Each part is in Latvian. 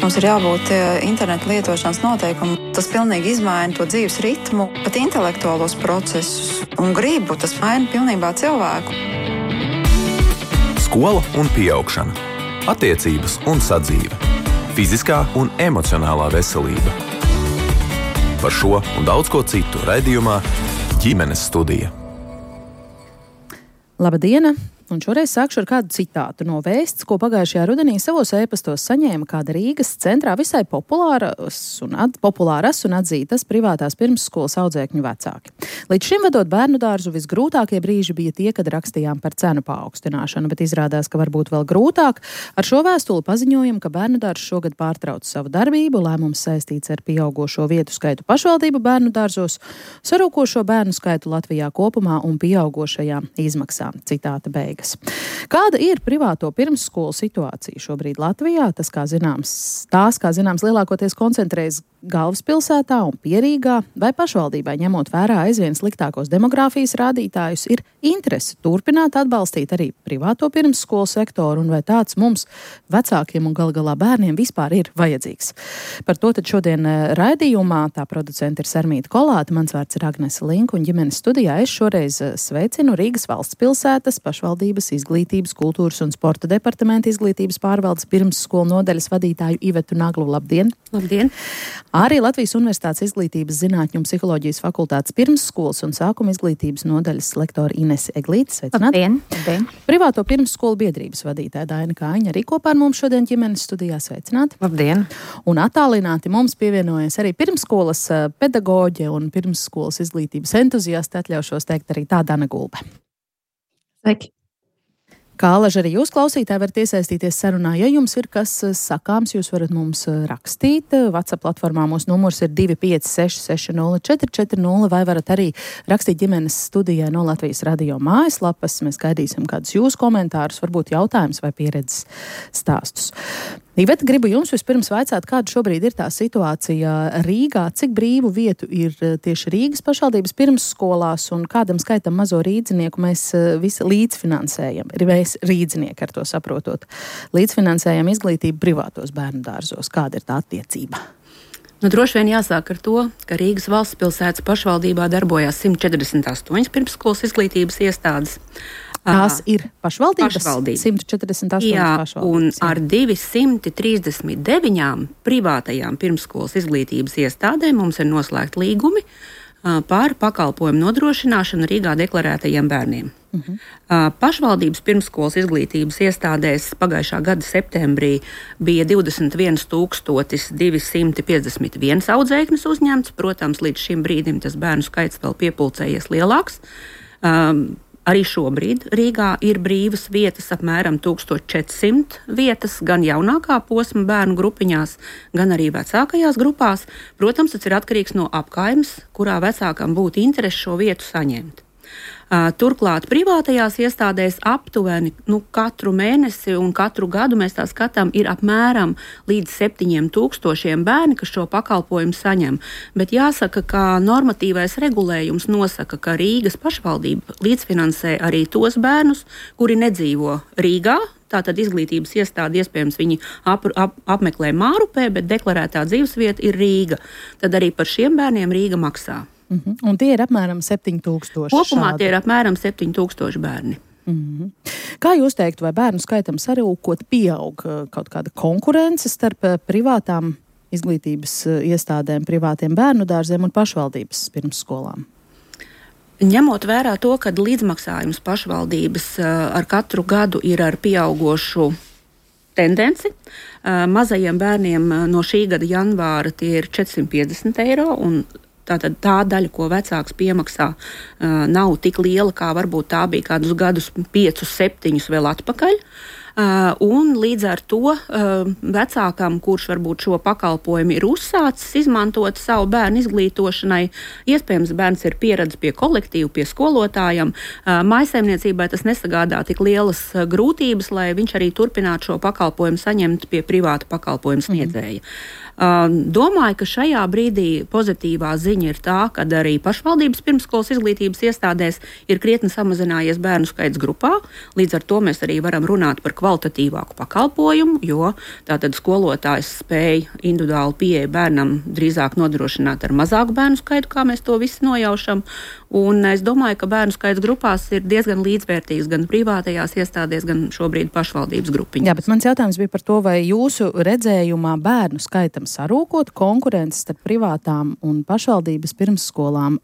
Mums ir jābūt interneta lietošanas noteikumu. Tas pilnīgi izmaina to dzīves ritmu, pat intelektuālos procesus un gribu. Tas maina pilnībā cilvēku. Skola un pieaugšana, attiecības un sadzīve, fiziskā un emocionālā veselība. Par šo un daudz ko citu raidījumā Ģimenes studija. Labdien! Un šoreiz sākšu ar kādu citātu no vēsts, ko pagājušajā rudenī savos ēpastos saņēma kāda Rīgas centrā visai populāras un atzītas privātās pirmsskolas audzēkņu vecāki. Līdz šim vedot bērnu dārzu visgrūtākie brīži bija tie, kad rakstījām par cenu paaugstināšanu, bet izrādās, ka varbūt vēl grūtāk. Ar šo vēstuli paziņojam, ka bērnu dārzs šogad pārtrauc savu darbību, lēmums saistīts ar pieaugošo vietu skaitu pašvaldību bērnu dārzos, sarūkošo bērnu skaitu Latvijā kopumā un pieaugošajām izmaksām. Citāta beigas. Kāda ir privāto pirmsskolu situācija šobrīd Latvijā? Kā zināms, lielākoties koncentrējas galvaspilsētā un Pierīgā, vai pašvaldībai, ņemot vērā aizvien sliktākos demogrāfijas rādītājus, ir interese turpināt atbalstīt arī privāto pirmsskolu sektoru, un vai tāds mums, vecākiem un galā bērniem, vispār ir vajadzīgs? Par to tad šodien raidījumā tā producente ir Sarmīta Kolāte, mans vārds ir Agnese Linka, un ģimenes studijā es šoreiz sveicinu Rīgas valsts pilsētas pašvaldības izglītības, kultūras un sporta departamenta izglītības pārvaldes pirmsskolu nodaļas vadītāju Ivetu Naglu. Labdien! Labdien! Arī Latvijas Universitātes izglītības zinātņu un psiholoģijas fakultātes pirmsskolas un sākuma izglītības nodaļas lektora Inese Eglīte. Sveicināt! Labdien! Privāto pirmsskolu biedrības vadītāja Daina Kāņa arī kopā ar mums šodien ģimenes studijā. Sveicināt! Labdien! Un attālināti mums pievienojas arī pirmsskolas pedagoģe un pirmsskolas izglītības entuziasti, atļaušos teikt arī tā Dana Gulbe. Sveiki! Kā alaži arī jūs, klausītāji, varat iesaistīties sarunā. Ja jums ir kas sakāms, jūs varat mums rakstīt. WhatsApp platformā mūsu numurs ir 256-60-440, vai varat arī rakstīt ģimenes studijai no Latvijas radio mājaslapas. Mēs gaidīsim kādus jūsu komentārus, varbūt jautājumus vai pieredzes stāstus. Iveta, gribu jums vispirms vaicāt, kāda šobrīd ir tā situācija Rīgā, cik brīvu vietu ir tieši Rīgas pašvaldības pirmsskolās un kādam skaitam mazo rīdzinieku mēs visi līdzfinansējam. Mēs rīdzinieki ar to saprotot. Līdzfinansējam izglītību privātos bērnu dārzos. Kāda ir tā attiecība? Droši vien jāsāk ar to, ka Rīgas valsts pilsētas pašvaldībā darbojās 148 pirmsskolas izglītības iestādes. Tās ir pašvaldības? 148 pašvaldības. Un ar 239 privātajām pirmsskolas izglītības iestādēm mums ir noslēgt līgumi par pakalpojumu nodrošināšanu Rīgā deklarētajiem bērniem. Pašvaldības pirmsskolas izglītības iestādēs pagājušā gada septembrī bija 21,251 audzēknis uzņemts. Protams, līdz šim brīdim tas bērnu skaits vēl piepulcējies lielāks. Arī šobrīd Rīgā ir brīvas vietas, apmēram 1400 vietas, gan jaunākā posma bērnu grupiņās, gan arī vecākajās grupās. Protams, tas ir atkarīgs no apkaimes, kurā vecākam būtu interese šo vietu saņemt. Turklāt privātajās iestādēs aptuveni katru mēnesi un katru gadu mēs tā skatām, ir apmēram līdz 7000 bērni, kas šo pakalpojumu saņem. Bet jāsaka, ka normatīvais regulējums nosaka, ka Rīgas pašvaldība līdzfinansē arī tos bērnus, kuri nedzīvo Rīgā. Tātad izglītības iestāde iespējams viņi apmeklē Mārupē, bet deklarētā dzīvesvieta ir Rīga. Tad arī par šiem bērniem Rīga maksā. Un tie ir apmēram 7000. Kopumā tie ir apmēram 7000 bērni. Kā jūs teiktu, vai bērnu skaitam sarūkot pieaug kaut kāda konkurence starp privātām izglītības iestādēm, privātiem bērnu dārziem un pašvaldības pirmsskolām? Ņemot vērā to, ka līdzmaksājums pašvaldības ar katru gadu ir ar pieaugošu tendenci, mazajiem bērniem no šī gada janvāra tie ir 450 eiro, un tātad tā daļa, ko vecāks piemaksā, nav tik liela, kā varbūt tā bija kādus gadus 5-7 vēl atpakaļ. Un līdz ar to vecākam, kurš varbūt šo pakalpojumu ir uzsācis izmantot savu bērnu izglītošanai, iespējams bērns ir pieredzis pie kolektīva, pie skolotājiem, mājsaimniecībai tas nesagādā tik lielas grūtības, lai viņš arī turpinātu šo pakalpojumu saņemt pie privāta pakalpojumu sniedzēja. Domāju, ka šajā brīdī pozitīvā ziņa ir tā, ka arī pašvaldības pirmsskolas izglītības iestādēs ir krietni samazinājies bērnu skaits grupā. Līdz ar to mēs arī varam runāt par kvalitatīvāku pakalpojumu, jo tātad skolotājs spēj individuāli pieeja bērnam drīzāk nodrošināt ar mazāku bērnu skaitu, kā mēs to visi nojaušam. Un es domāju, ka bērnu skaits grupās ir diezgan līdzvērtīgs gan privātajās iestādēs, gan šobrīd pašvaldības grupiņās. Jā, bet mans jautājums bija par to, vai jūsu redzējumā bērnu skaitam sarūkot konkurences starp privātām un pašvaldības pirmsskolām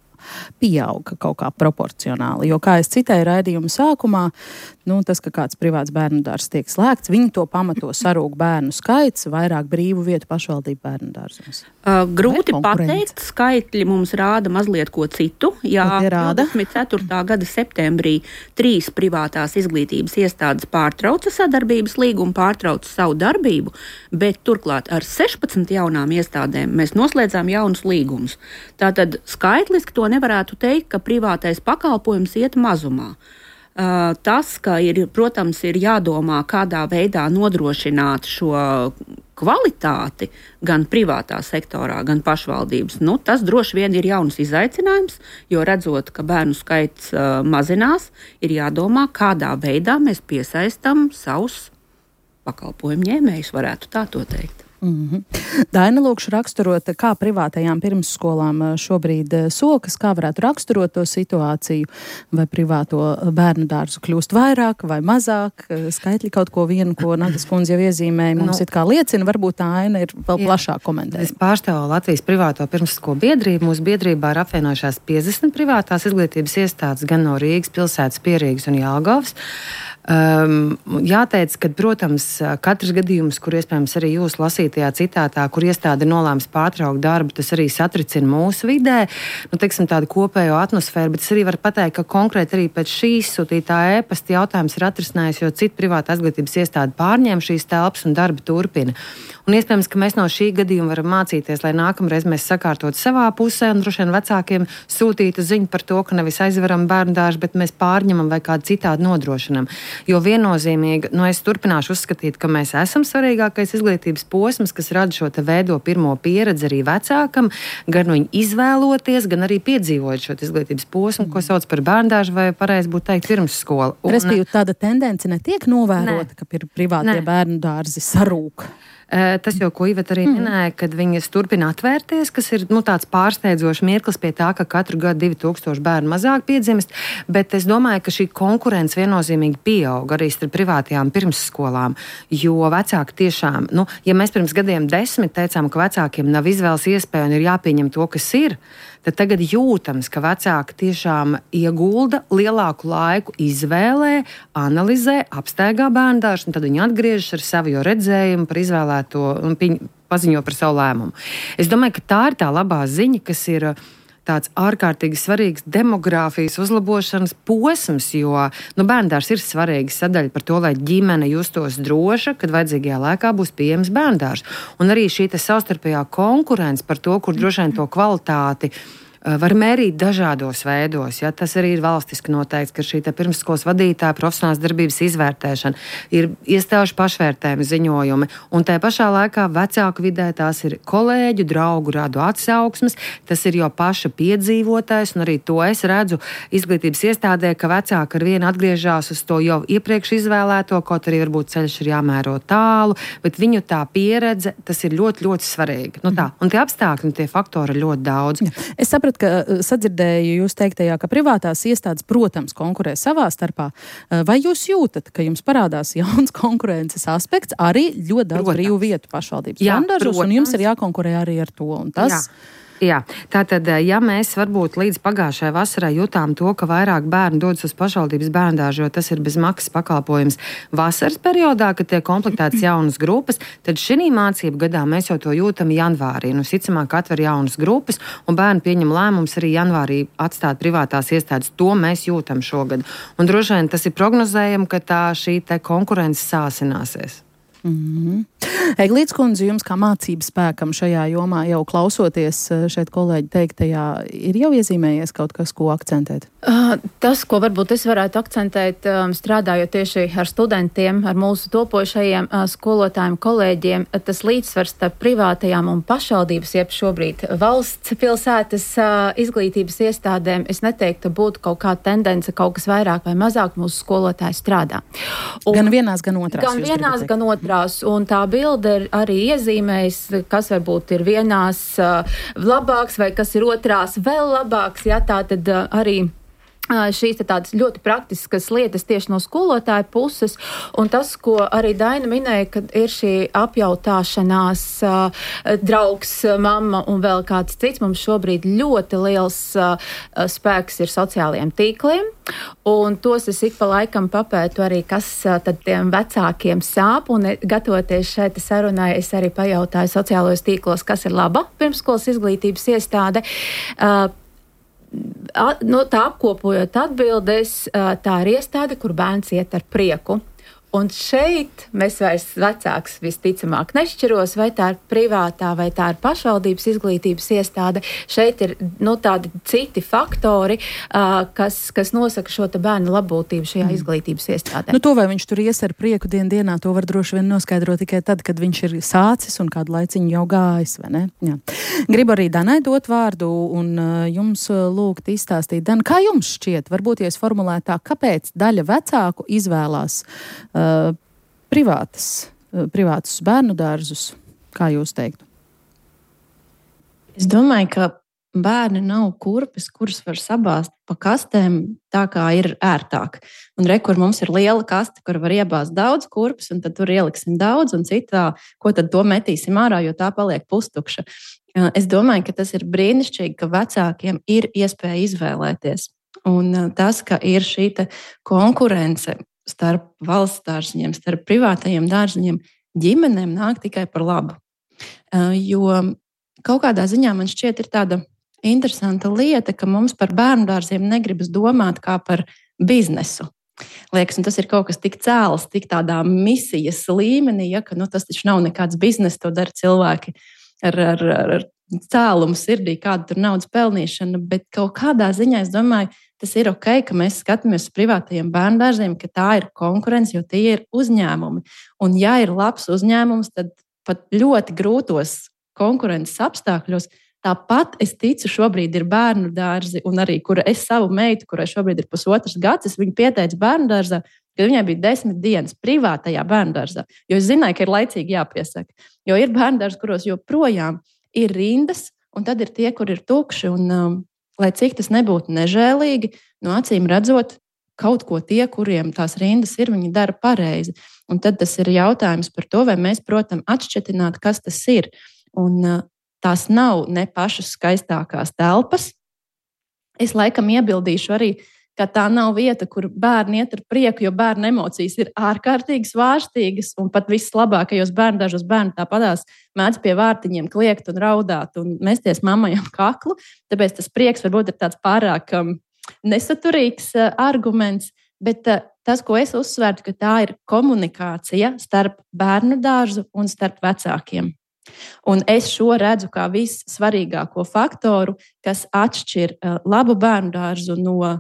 pieauga kaut kā proporcionāli. Jo, kā es citēju raidījuma sākumā, tas, ka kāds privāts bērnu dārzs tiek slēgts, viņi to pamato sarūk bērnu skaits, vairāk brīvu vietu pašvaldību bērnu dārzos. Grūti pateikt, skaitļi mums rāda mazliet ko citu. Jā, 24. gada septembrī 3 privātās izglītības iestādes pārtrauca sadarbības līgumu, pārtrauca savu darbību, bet turklāt ar 16 jaunām iestādēm mēs noslēdzām jaunus līgumus. Tātad skaitliski to nevarētu teikt, ka privātais pakalpojums iet mazumā. Tas, ka protams, ir jādomā, kādā veidā nodrošināt šo kvalitāti gan privātā sektorā, gan pašvaldības. Tas droši vien ir jauns izaicinājums, jo redzot, ka bērnu skaits mazinās, ir jādomā, kādā veidā mēs piesaistam savus pakalpojumu ņēmējus, varētu tā to teikt. Daina, lūkšu raksturot, kā privātajām pirmsskolām šobrīd sokas, kā varētu raksturot to situāciju, vai privāto bērnu dārzu kļūst vairāk vai mazāk, skaitļi kaut ko vienu, ko Nagas kundze jau iezīmēja, mums it kā liecina, varbūt tā aina ir vēl plašāk komentējama. Es pārstāvu Latvijas privāto pirmsskolu biedrību, mūsu biedrībā ir apvienojušās 50 privātās izglītības iestādes gan no Rīgas pilsētas, Pierīgas un Jelgavas. Jāteic, ka, protams, katrs gadījums, kur iespējams arī jūs lasītajā citātā, kur iestāde nolēms pārtraukt darbu, tas arī satricina mūsu vidē, teiksim, tādu kopējo atmosfēru, bet es arī varu pateikt, ka konkrēti arī pēc šīs sūtītā ēpasta jautājums ir atrisinājis, jo cita privāta izglītības iestāde pārņēma šīs telpas un darbi turpina. Un iespējams, ka mēs no šī gadījuma varam mācīties, lai nākamreiz mēs sakārtot savā pusē un droši vien vecākiem sūtītu ziņu par to, ka nevis aizveram bērnu dārzu, bet mēs pārņemam vai kādu citādi nodrošinam. Jo viennozīmīgi, es turpināšu uzskatīt, ka mēs esam svarīgākais izglītības posms, kas rada šo te veido pirmo pieredzi arī vecākam, gan viņu izvēloties, gan arī piedzīvot šo izglītības posmu, ko sauc par bērndārzu vai pareizi būtu teikt pirmsskolu. Respektīvi, tāda tendence netiek novērota, ka privātie bērnu dārzi sarūk. Tas jau, ko Iveta arī minēja, kad viņas turpina atvērties, kas ir tāds pārsteidzošs mirklis pie tā, ka katru gadu 2000 bērnu mazāk piedzimst, bet es domāju, ka šī konkurence viennozīmīgi pieaug arī starp privātajām pirmsskolām, jo vecāki tiešām, ja mēs pirms gadiem 10 teicām, ka vecākiem nav izvēles iespēja un ir jāpieņem to, kas ir, tad tagad jūtams, ka vecāki tiešām iegulda lielāku laiku izvēlē, analizē, apstaigā bērndārzu, un tad viņi atgriežas ar savu redzējumu par izvēlēto un paziņo par savu lēmumu. Es domāju, ka tā ir tā labā ziņa, kas ir tāds ārkārtīgi svarīgs demogrāfijas uzlabošanas posms, jo bērndārs ir svarīga sadaļa par to, lai ģimene justos droša, kad vajadzīgajā laikā būs pieejams bērndārs. Un arī šī savstarpējā konkurence par to, kur droši vien to kvalitāti var mērīt dažādos veidos. Ja? Tas arī ir valstiski noteikts, ka šī pirmsskolas vadītāja profesionālās darbības izvērtēšana ir iestāžu pašvērtējuma ziņojumi, un tajā pašā laikā vecāku vidē tās ir kolēģu, draugu radu atsauksmes, tas ir jau paša piedzīvotais, un arī to es redzu izglītības iestādē, ka vecāki ar vienu atgriežās uz to jau iepriekš izvēlēto, kaut arī varbūt ceļš ir jāmēro tālu, bet viņu tā pieredze, tas ir ļoti, ļoti svarīgi. Un tie apstākļi un tie faktori ir ļoti daudz. Es sapratu, ka sadzirdēju jūs teiktajā, ka privātās iestādes, protams, konkurē savā starpā. Vai jūs jūtat, ka jums parādās jauns konkurences aspekts, arī ļoti daudz brīvu vietu pašvaldības bērndārzos, un jums ir jākonkurē arī ar to? Un tas... Jā, tātad, ja mēs varbūt līdz pagājušajai vasarai jutām to, ka vairāk bērnu dodas uz pašvaldības bērndārzu, jo tas ir bez maksas pakalpojums vasaras periodā, kad tiek komplektētas jaunas grupas, tad šī mācību gadā mēs jau to jūtam janvārī. Visticamāk, atver jaunas grupas, un bērni pieņem lēmums arī janvārī atstāt privātās iestādes. To mēs jūtam šogad. Un droši vien tas ir prognozējami, ka šī konkurence sāsināsies. Eglītes kundze, jums kā mācību spēkam šajā jomā jau klausoties šeit kolēģi teiktajā, ir jau iezīmējies kaut kas, ko akcentēt? Tas, ko varbūt es varētu akcentēt, strādājot tieši ar studentiem, ar mūsu topošajiem skolotājiem, kolēģiem, tas līdzsvars starp privātajām un pašvaldības, jeb šobrīd valsts pilsētas izglītības iestādēm, es neteiktu, būtu kaut kāda tendence, kaut kas vairāk vai mazāk mūsu skolotāji strādā. Gan vienās, gan otrās. Gan vienās, gan otrās. Un tā bilde ir arī iezīmējis, kas varbūt ir vienās labāks vai kas ir otrās vēl labāks. Ja, tā tad arī šīs tādas ļoti praktiskas lietas tieši no skolotāja puses, un tas, ko arī Daina minēja, kad ir šī apjautāšanās draugs, mamma un vēl kāds cits, mums šobrīd ļoti liels spēks ir sociālajiem tīkliem, un tos es ik pa laikam papētu arī, kas tad tiem vecākiem sāp, un gatavoties šeit sarunai, es arī pajautāju sociālajos tīklos, kas ir laba pirmsskolas izglītības iestāde. Tā apkopojot atbildes, tā ir iestāde, kur bērns iet ar prieku. Un šeit mēs vairs vecāks visticamāk nešķiros, vai tā ir privātā, vai tā ir pašvaldības izglītības iestāde. Šeit ir tādi citi faktori, kas nosaka šo te bērnu labbūtību šajā izglītības iestādē. To, vai viņš tur ies ar prieku dienā, to var droši vien noskaidrot tikai tad, kad viņš ir sācis un kādu laiciņu jau gājis, vai ne? Jā. Gribu arī Danai dot vārdu un jums lūgt izstāstīt. Dan, kā jums šķiet, varbūt, ja es formulētu tā, kāpēc daļa vecāku izvēlās privātus bērnu dārzus, kā jūs teiktu? Es domāju, ka bērni nav kurpes, kuras var sabāzt pa kastēm tā, kā ir ērtāk. Un kur mums ir liela kaste, kur var iebāzt daudz kurpes, un tad tur ieliksim daudz, un citā, ko tad to metīsim ārā, jo tā paliek pustukša. Es domāju, ka tas ir brīnišķīgi, ka vecākiem ir iespēja izvēlēties. Un tas, ka ir šī konkurence starp valsts dārziņiem, starp privātajiem dārziņiem, ģimenēm nāk tikai par labu. Jo kaut kādā ziņā man šķiet ir tāda interesanta lieta, ka mums par bērnu dārziem negribas domāt kā par biznesu. Liekas, un tas ir kaut kas tik cēls, tik tādā misijas līmenī, ja, ka tas taču nav nekāds biznes, to dara cilvēki ar cēlumu sirdī, kāda tur naudas pelnīšana, bet kaut kādā ziņā es domāju, tas ir ok, ka mēs skatāmies uz privātajiem bērndārziem, ka tā ir konkurence, jo tie ir uzņēmumi. Un ja ir labs uzņēmums, tad pat ļoti grūtos konkurences apstākļos, tāpat es ticu, šobrīd ir bērnu dārzi, un arī, kura es savu meitu, kurai šobrīd ir 1,5 gads, es viņu pieteicu bērnu dārzā, kad viņai bija 10 dienas privātajā bērnu dārzā, jo es zināju, ka ir laicīgi jāpiesaka. Jo ir bērnu dārzi, kuros joprojām ir rindas, un tad ir tie, kur ir tukši, un lai cik tas nebūtu nežēlīgi, no acīm redzot, kaut ko tie, kuriem tās rindas ir, viņi dara pareizi. Un tad tas ir jautājums par to, vai mēs, protams, atšķetināt, kas tas ir. Un tās nav ne pašas skaistākās telpas. Es laikam iebildīšu arī, ka tā nav vieta, kur bērni iet ar prieku, jo bērnu emocijas ir ārkārtīgi svārstīgas, un pat vislabākajos bērndārzos bērni tāpatās mēdz pie vārtiņiem kliegt un raudāt un mesties mammai ap kaklu. Tāpēc tas prieks varbūt ir tāds pārāk nesaturīgs arguments, bet tas, ko es uzsvērtu, ka tā ir komunikācija starp bērnu dārzu un starp vecākiem. Un es šo redzu kā vissvarīgāko faktoru, kas atšķir labu bērnu dārzu no,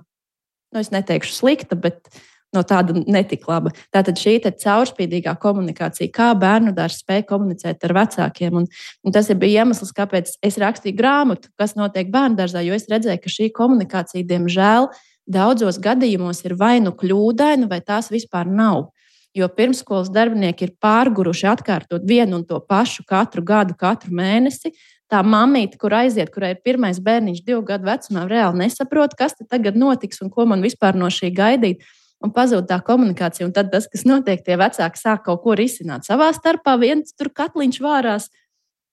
es neteikšu slikta, bet no tāda netik laba. Tātad šī caurspīdīgā komunikācija, kā bērnu dārzs spēj komunicēt ar vecākiem. Un tas bija iemesls, kāpēc es rakstīju grāmatu, kas notiek bērnu dārzā, jo es redzēju, ka šī komunikācija, diemžēl, daudzos gadījumos ir vai nu kļūdaina, vai tās vispār nav. Jo pirmsskolas darbinieki ir pārguruši atkārtot vienu un to pašu katru gadu, katru mēnesi. Tā mammīte, kur aiziet, kurai ir pirmais bērniņš 2 gadu vecumā, reāli nesaprot, kas tagad notiks un ko man vispār no šī gaidīt. Un pazūd tā komunikācija. Un tad tas, kas notiek, tie vecāki sāk kaut ko risināt savā starpā. Viens tur katliņš vārās.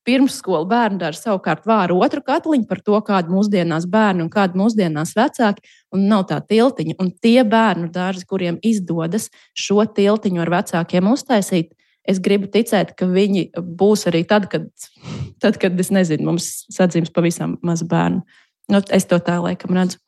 Pirmsskola bērnu dārza savukārt vāra otru katliņu par to, kāda mūsdienās bērni un kāda mūsdienās vecāki, un nav tā tiltiņa. Un tie bērnu dārzi, kuriem izdodas šo tiltiņu ar vecākiem uztaisīt, es gribu ticēt, ka viņi būs arī tad, kad es nezinu, mums sadzims pavisam maz bērnu. Es to tā laikam redzu.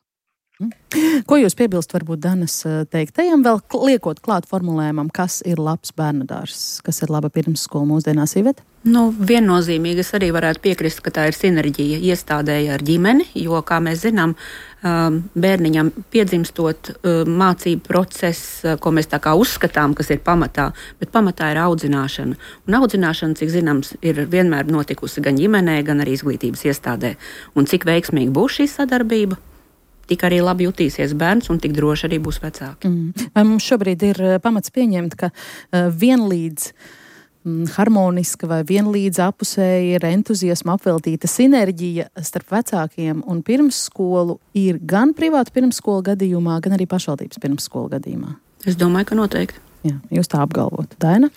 Ko jūs piebilst varbūt Danas teiktajam, vēl liekot klāt formulējumam, kas ir labs bērnudārs, kas ir laba pirmsskola mūsdienās, Iveta? Viennozīmīgi es arī varētu piekrist, ka tā ir sinerģija iestādēja ar ģimeni, jo, kā mēs zinām, bērniņam piedzimstot mācību process, ko mēs tā kā uzskatām, kas ir pamatā, bet pamatā ir audzināšana. Un audzināšana, cik zināms, ir vienmēr notikusi gan ģimenē, gan arī izglītības iestādē. Un cik veiksmīgi būs šī sadarbība, tik arī labi jutīsies bērns un tik droši arī būs vecāki. Vai mums šobrīd ir pamats pieņemt, ka vienlīdz harmoniska vai vienlīdz apusēji ir entuziasma apveltīta sinerģija starp vecākiem un pirmsskolu ir gan privātu pirmsskolu gadījumā, gan arī pašvaldības pirmsskolu gadījumā? Es domāju, ka noteikti. Jā, jūs tā apgalvotu. Daina?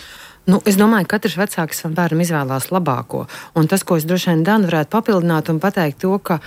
Es domāju, ka katrs vecāks savam bērnam izvēlās labāko. Un tas, ko es droši vien Danu varētu papildināt un pateikt to, ka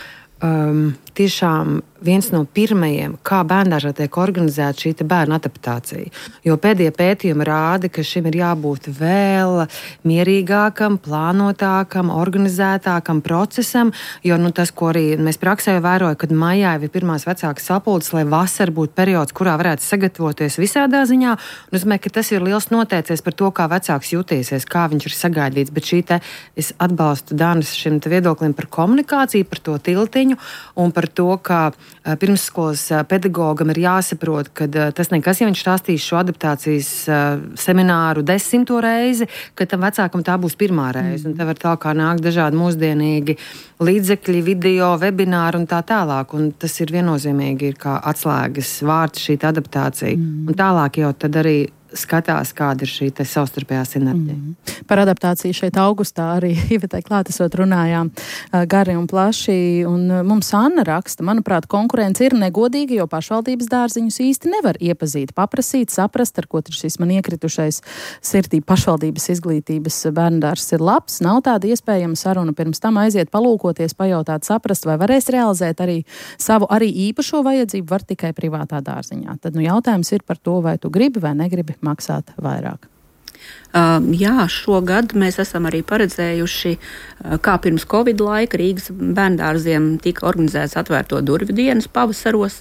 tiešām viens no pirmajiem, kā bērndārzā tiek organizēta šī bērnu adaptācija. Jo pēdējie pētījumi rāda, ka šim ir jābūt vēl mierīgākam, plānotākam, organizētākam procesam, jo tas, ko arī mēs praksē vērojam, kad maijā ir pirmās vecākas sapulces, lai vasara būtu periods, kurā varētu sagatavoties visādā ziņā. Un es domāju, ka tas ir liels noteicies par to, kā vecāks jutīsies, kā viņš ir sagaidīts. Bet es atbalstu Danas šim viedoklim par komunikāciju, par to tiltiņu un par to, ka pirmsskolas pedagogam ir jāsaprot, ka tas nekas, ja viņš stāstīs šo adaptācijas semināru 10. reizi, ka tam vecākam tā būs pirmā reize. Un te var tā kā nākt dažādi mūsdienīgi līdzekļi, video, webināri un tā tālāk. Un tas ir viennozīmīgi ir kā atslēgas vārds šī adaptācija. Un tālāk jau tad arī skatās, kāda ir šī savstarpējā sinerģija. Par adaptāciju šeit augustā arī Ivetai klātesot runājām gari un plaši, un mums Anna raksta, manuprāt, konkurence ir negodīga, jo pašvaldības dārziņus īsti nevar iepazīt, paprasīt, saprast, ar ko šis man iekritušais sirdī pašvaldības izglītības bērndārs ir labs, nav tāda iespējama saruna, pirms tam aiziet palūkoties, pajautāt, saprast, vai varēs realizēt arī savu arī īpašo vajadzību, var tikai privātā dārziņā. Tad jautājums ir par to, vai tu gribi vai negribi maksāt vairāk. Jā, šogad mēs esam arī paredzējuši, kā pirms Covid laika Rīgas bērndārziem tika organizēts atvērto durvju dienas pavasaros.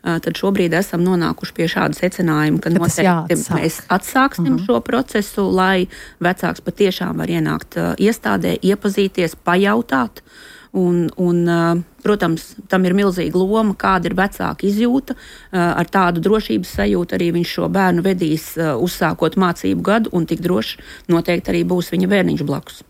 Tad šobrīd esam nonākuši pie šāda secinājuma, ka noteikti mēs atsāksim šo procesu, lai vecāks patiešām var ienākt iestādē, iepazīties, pajautāt. Protams, tam ir milzīga loma, kāda ir vecāka izjūta. Ar tādu drošības sajūtu arī viņš šo bērnu vedīs, uzsākot mācību gadu, un tik droši noteikti arī būs viņa bērniņš blakus.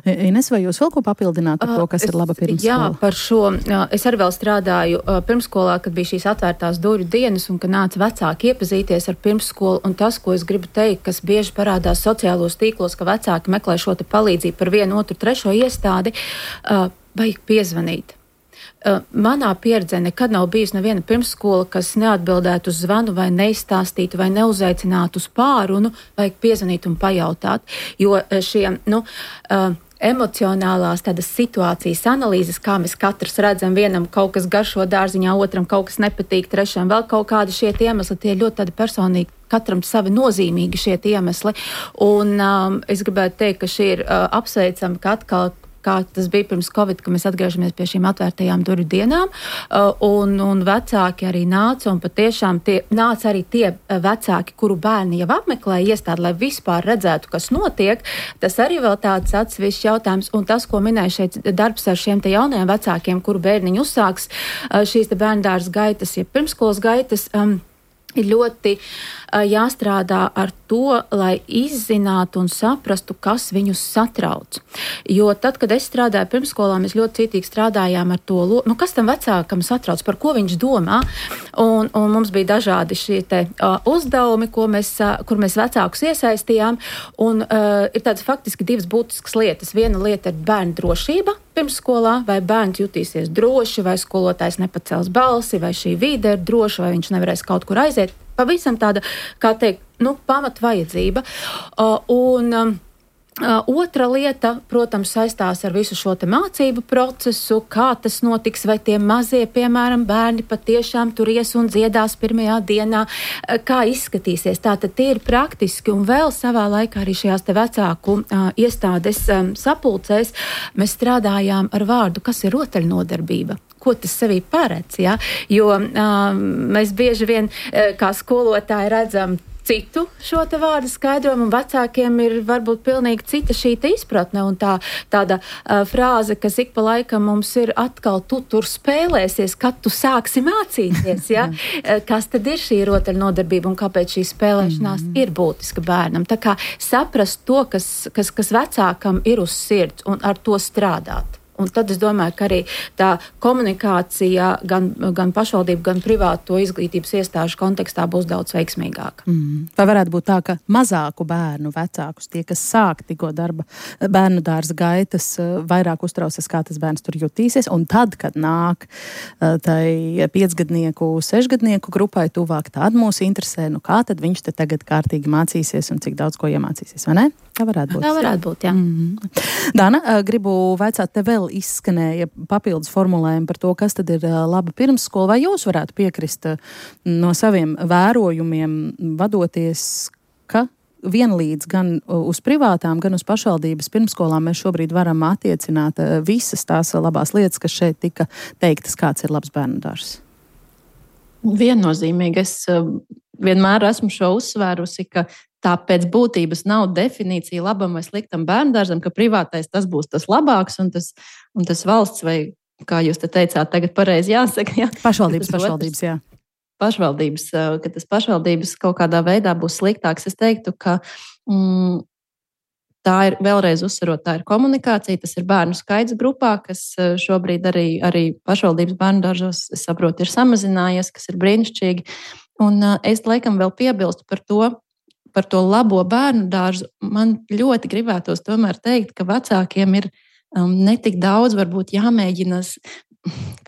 Ines, vai jūs vēl ko papildināt par to, kas ir laba pirmsskola? Jā, par šo. Es arī vēl strādāju pirmsskolā, kad bija šīs atvērtās durvju dienas un kad nāca vecāki iepazīties ar pirmsskolu. Un tas, ko es gribu teikt, kas bieži parādās sociālos tīklos, ka vecāki meklē šo palīdzību par 1, 2, 3 iestādi, vajag piezvanīt. Manā pieredzē nekad nav bijusi neviena pirmsskola, kas neatbildētu uz zvanu vai neizstāstītu vai neuzaicinātu uz pārunu, vajag piezvanīt un pajautāt, jo šie, emocionālās tādas situācijas analīzes, kā mēs katrs redzam, vienam kaut kas garšo dārziņā, otram kaut kas nepatīk, trešam vēl kaut kādi šie iemesli, tie ļoti tādi personīgi, katram savi nozīmīgi šie iemesli. Un es gribētu teikt, ka šī ir apsveicama, ka atkal kā tas bija pirms Covid, ka mēs atgriežamies pie šīm atvērtajām durvju dienām, un vecāki arī nāca, un patiešām nāca arī tie vecāki, kuru bērni jau apmeklēja iestādi, lai vispār redzētu, kas notiek. Tas arī vēl tāds atsevišķs jautājums, un tas, ko minēja šeit darbs ar šiem te jaunajiem vecākiem, kuru bērniņu uzsāks šīs te bērndārzs gaitas, ja pirmskolas gaitas, ir ļoti jāstrādā ar to, lai izzinātu un saprastu, kas viņus satrauc. Jo tad, kad es strādāju pirmsskolā, mēs ļoti cītīgi strādājām ar to, kas tam vecākam satrauc, par ko viņš domā. Un mums bija dažādi šie te uzdevumi, kur mēs vecākus iesaistījām. Un ir tādas faktiski 2 būtiskas lietas. Viena lieta ir bērnu drošība pirmsskolā, vai bērns jutīsies droši, vai skolotājs nepacels balsi, vai šī vide ir droša, vai viņš nevarēs kaut kur aiziet. Pavisam tāda, kā teikt, pamat vajadzība. Otra lieta, protams, saistās ar visu šo te mācību procesu, kā tas notiks, vai tie mazie, piemēram, bērni patiešām tur ies un dziedās pirmajā dienā, kā izskatīsies. Tātad tie ir praktiski, un vēl savā laikā arī šajās te vecāku iestādes sapulcēs mēs strādājām ar vārdu, kas ir rotaļnodarbība. Ko tas sevī paredz, ja? Jo mēs bieži vien kā skolotāji redzam citu šo te vārdu skaidrojumu, un vecākiem ir varbūt pilnīgi cita šī te izpratne, un tāda frāze, kas ik pa laikam mums ir atkal, tu tur spēlēsies, kad tu sāksi mācīties, ja? Kas tad ir šī rotaļnodarbība, un kāpēc šī spēlēšanās ir būtiska bērnam. Tā kā saprast to, kas vecākam ir uz sirds, un ar to strādāt. Un tad es domāju, ka arī tā komunikācija gan pašvaldību, gan privāto izglītības iestāžu kontekstā būs daudz veiksmīgāka. Vai varētu būt tā, ka mazāku bērnu vecākus, tie, kas sāk tikko darba bērnu dārza gaitas, vairāk uztrausies, kā tas bērns tur jutīsies, un tad, kad nāk tai 5-gadnieku, 6-gadnieku grupai tuvāk, tad mūs interesē, kā tad viņš te tagad kārtīgi mācīsies un cik daudz ko iemācīsies, vai ne? Tā varētu būt. Tā varētu būt, jā. Dana, gribu vaicāt, te vēl izskanēja papildus formulējumi par to, kas tad ir laba pirmsskola, vai jūs varētu piekrist no saviem vērojumiem vadoties, ka vienlīdz gan uz privātām, gan uz pašvaldības pirmskolām mēs šobrīd varam attiecināt visas tās labās lietas, kas šeit tika teiktas, kāds ir labs bērnu dārzs? Viennozīmīgi. Es vienmēr esmu šo uzsvērusi, ka tā pēc būtības nav definīcija labam vai sliktam bērndārzam, ka privātais tas būs tas labāks un tas valsts vai, kā jūs te teicāt, tagad pareizi jāsaka. Jā. Pašvaldības, jā. Pašvaldības, ka tas pašvaldības kaut kādā veidā būs sliktāks. Es teiktu, ka tā ir, vēlreiz uzsverot, tā ir komunikācija, tas ir bērnu skaits grupā, kas šobrīd arī pašvaldības bērndārzos, es saprotu, ir samazinājies, kas ir brīnišķīgi. Un es laikam vēl piebilstu par to labo bērnu dārzu. Man ļoti gribētos tomēr teikt, ka vecākiem ir netik daudz varbūt jāmēģina,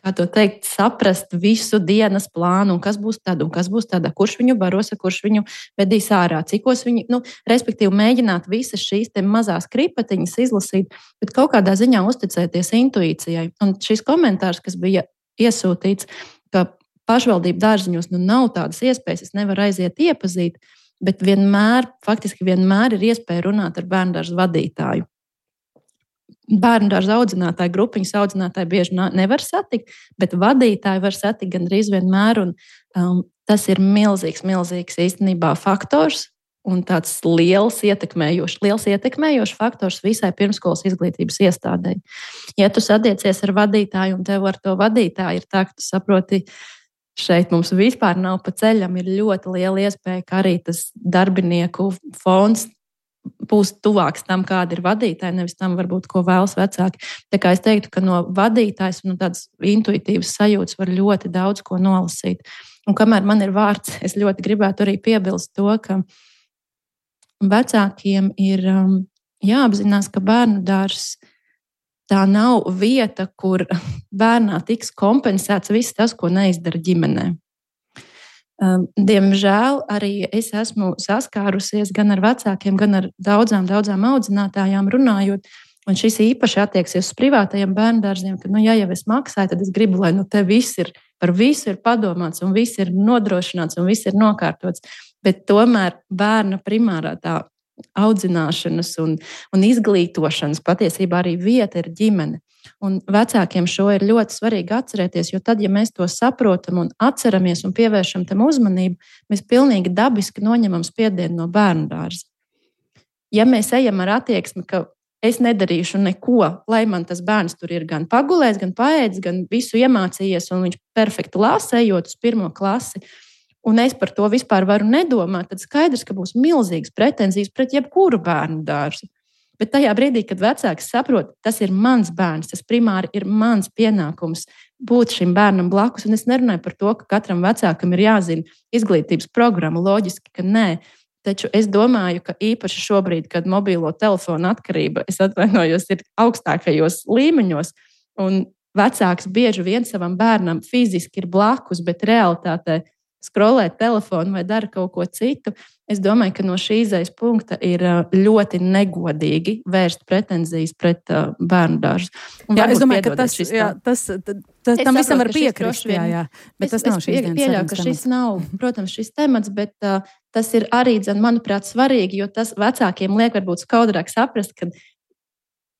kā to teikt, saprast visu dienas plānu, un kas būs tad, un kas būs tad, kurš viņu baros, kurš viņu vedīs ārā, cikos viņi, respektīvi mēģināt visas šīs te mazās kripatiņas izlasīt, bet kaut kādā ziņā uzticēties intuīcijai. Un šis komentārs, kas bija iesūtīts, ka pašvaldību dārziņos nav tādas iespējas, es nevaru aiziet iepazīt, bet faktiski vienmēr ir iespēja runāt ar bērndārza vadītāju. Bērndārza audzinātāju, grupiņas audzinātāju bieži nevar satikt, bet vadītāju var satikt gandrīz vienmēr. Tas ir milzīgs īstenībā faktors un tāds liels ietekmējošs faktors visai pirmskolas izglītības iestādei. Ja tu satiecies ar vadītāju un tev ar to vadītāju ir tā, ka tu saproti, šeit mums vispār nav pa ceļam, ir ļoti liela iespēja, ka arī tas darbinieku fons būs tuvāks tam, kāda ir vadītāja, nevis tam, varbūt, ko vēlas vecāki. Tā kā es teiktu, ka no vadītājas un no tādas intuitīvas sajūtas var ļoti daudz ko nolasīt. Un kamēr man ir vārds, es ļoti gribētu arī piebilst to, ka vecākiem ir jāapzinās, ka bērnu dārzs tā nav vieta, kur bērnā tiks kompensēts viss tas, ko neizdara ģimenē. Diemžēl arī es esmu saskārusies gan ar vecākiem, gan ar daudzām audzinātājām runājot, un šis īpaši attieksies uz privātajiem bērndārziem, ka, ja jau es maksāju, tad es gribu, lai te viss ir, par visu ir padomāts, un viss ir nodrošināts, un viss ir nokārtots, bet tomēr bērna primārā tā audzināšanas un izglītošanas patiesībā arī vieta ir ģimene. Un vecākiem šo ir ļoti svarīgi atcerēties, jo tad, ja mēs to saprotam un atceramies un pievēršam tam uzmanību, mēs pilnīgi dabiski noņemam spiedienu no bērnu dārza. Ja mēs ejam ar attieksmi, ka es nedarīšu neko, lai man tas bērns tur ir gan pagulējis, gan paēdis, gan visu iemācījies, un viņš perfekti lasa, ejot uz 1. klasi, un es par to vispār varu nedomāt, tad skaidrs, ka būs milzīgas pretenzijas pret jebkuru bērnu dārzu. Bet tajā brīdī, kad vecāks saprot, tas ir mans bērns, tas primāri ir mans pienākums būt šim bērnam blakus. Un es nerunāju par to, ka katram vecākam ir jāzina izglītības programma, loģiski, ka nē. Taču es domāju, ka īpaši šobrīd, kad mobilo telefonu atkarība, es atvainojos, ir augstākajos līmeņos, un vecāks bieži vien savam bērnam fiziski ir blakus, bet realitātē skrolē telefonu vai dara kaut ko citu, Es domāju, ka no šī izejas punkta ir ļoti negodīgi vērst pretenzijas pret bērnu dārzu. Jā, es domāju, ka tam visam var piekrist. Bet tas nav šīs dienas pieļauju, ka šis nav, protams, šis temats, bet tas ir arī, manuprāt, svarīgi, jo tas vecākiem liek varbūt skaudrāk saprast, ka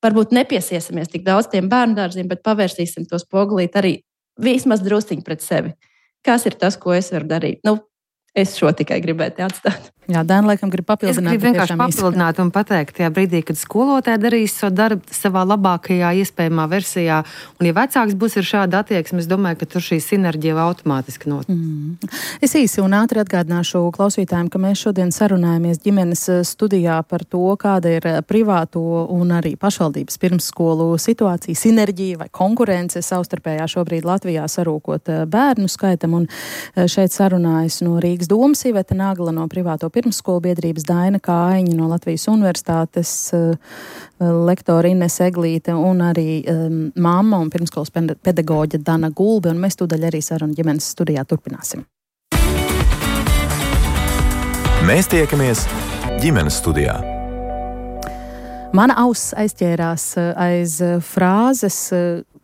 varbūt nepiesiesimies tik daudz tiem bērnu dārziem, bet pavērsīsim to spogulīt arī vismaz drusciņi pret sevi. Kas ir tas, ko es varu darīt? Es šo tikai gribētu atstāt. Jā, Dāna, laikam, grib papildināt. Es gribu vienkārši papildināt un pateikt, tajā brīdī, kad skolotāji darīs savu darbu savā labākajā iespējamā versijā, un ja vecāks būs ar šādu attieksmi, es domāju, ka tur šī sinerģija automātiski notiek. Es īsi un ātri atgādināšu klausītājiem, ka mēs šodien sarunājamies ģimenes studijā par to, kāda ir privāto un arī pašvaldības pirmsskolu situācija, sinerģija vai konkurence savstarpējā šobrīd Latvijā sarūkot bērnu skaitam, un šeit sarunājas no Rīgas domas Iveta Nagla, no privāto pirmsskolu biedrības Daina Kāiņa, no Latvijas Universitātes lektora Ines Eglīte un arī mamma un pirmsskolas pedagoģa Dana Gulbe, un mēs tūdaļ arī sarunu ģimenes studijā turpināsim. Mēs tiekamies ģimenes studijā. Mana auss aizķērās aiz frāzes,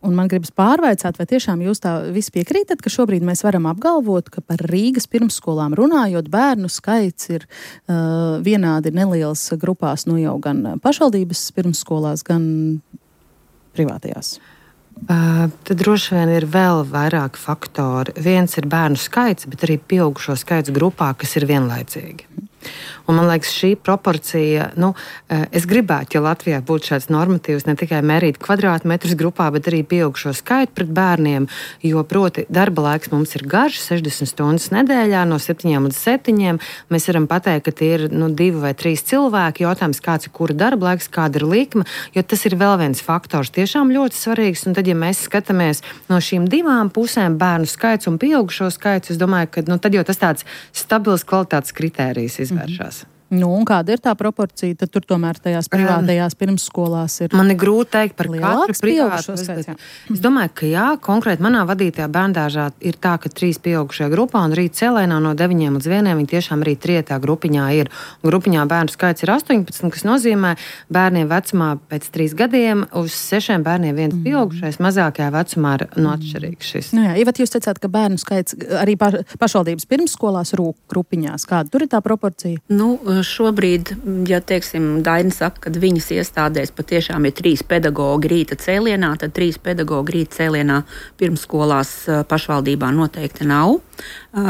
un man gribas pārvaicāt, vai tiešām jūs tā visi piekrītat, ka šobrīd mēs varam apgalvot, ka par Rīgas pirmsskolām runājot, bērnu skaits ir vienādi neliels grupās, jau gan pašvaldības pirmsskolās, gan privātajās? Tad droši vien ir vēl vairāk faktori. Viens ir bērnu skaits, bet arī pieaugušo skaits grupā, kas ir vienlaicīgi. Un man liekas, šī proporcija, es gribētu, ja Latvijā būtu šāds normatīvs, ne tikai mērīt kvadrātmetrus grupā, bet arī pieaugušo skaitu pret bērniem, jo proti darba laiks mums ir garš, 60 stundas nedēļā, no 7 līdz 7. Mēs varam pateikt, ka tie ir 2 vai 3 cilvēki. Jautājums, kāds ir kura darba laiks, kāda ir likme, jo tas ir vēl viens faktors, tiešām ļoti svarīgs. Un tad, ja mēs skatāmies no šīm divām pusēm, bērnu skaits un pieaugušo skaits, es domāju, ka tad jau tas tāds stabils kvalitātes kritērijs izvēršās. Un kāda ir tā proporcija? Tad tur tomēr tajās privātajās pirmsskolās ir. Man ir grūti teikt par katru privātu. Es domāju, ka jā, konkrēti manā vadītajā bērndārzā ir tā, ka 3 pieaugušajā grupā un rīt cēlēnā no 9 līdz 1 viņi tiešām arī trietā grupiņā ir. Grupiņā bērnu skaits ir 18, kas nozīmē bērniem vecumā pēc 3 gadiem uz 6 bērniem viens pieaugušais, mazākajā vecumā ir atšķirīgs šis. Jā, Ivat, jūs teicāt, ka bērnu skaits arī pašvaldības pirmsskolās rūk grupiņās. Kāda tur ir tā proporcija? Šobrīd, ja teiksim, Daina saka, ka viņas iestādēs patiešām ir 3 pedagogi rīta cēlienā, tad 3 pedagogi rīta cēlienā pirmsskolās pašvaldībā noteikti nav.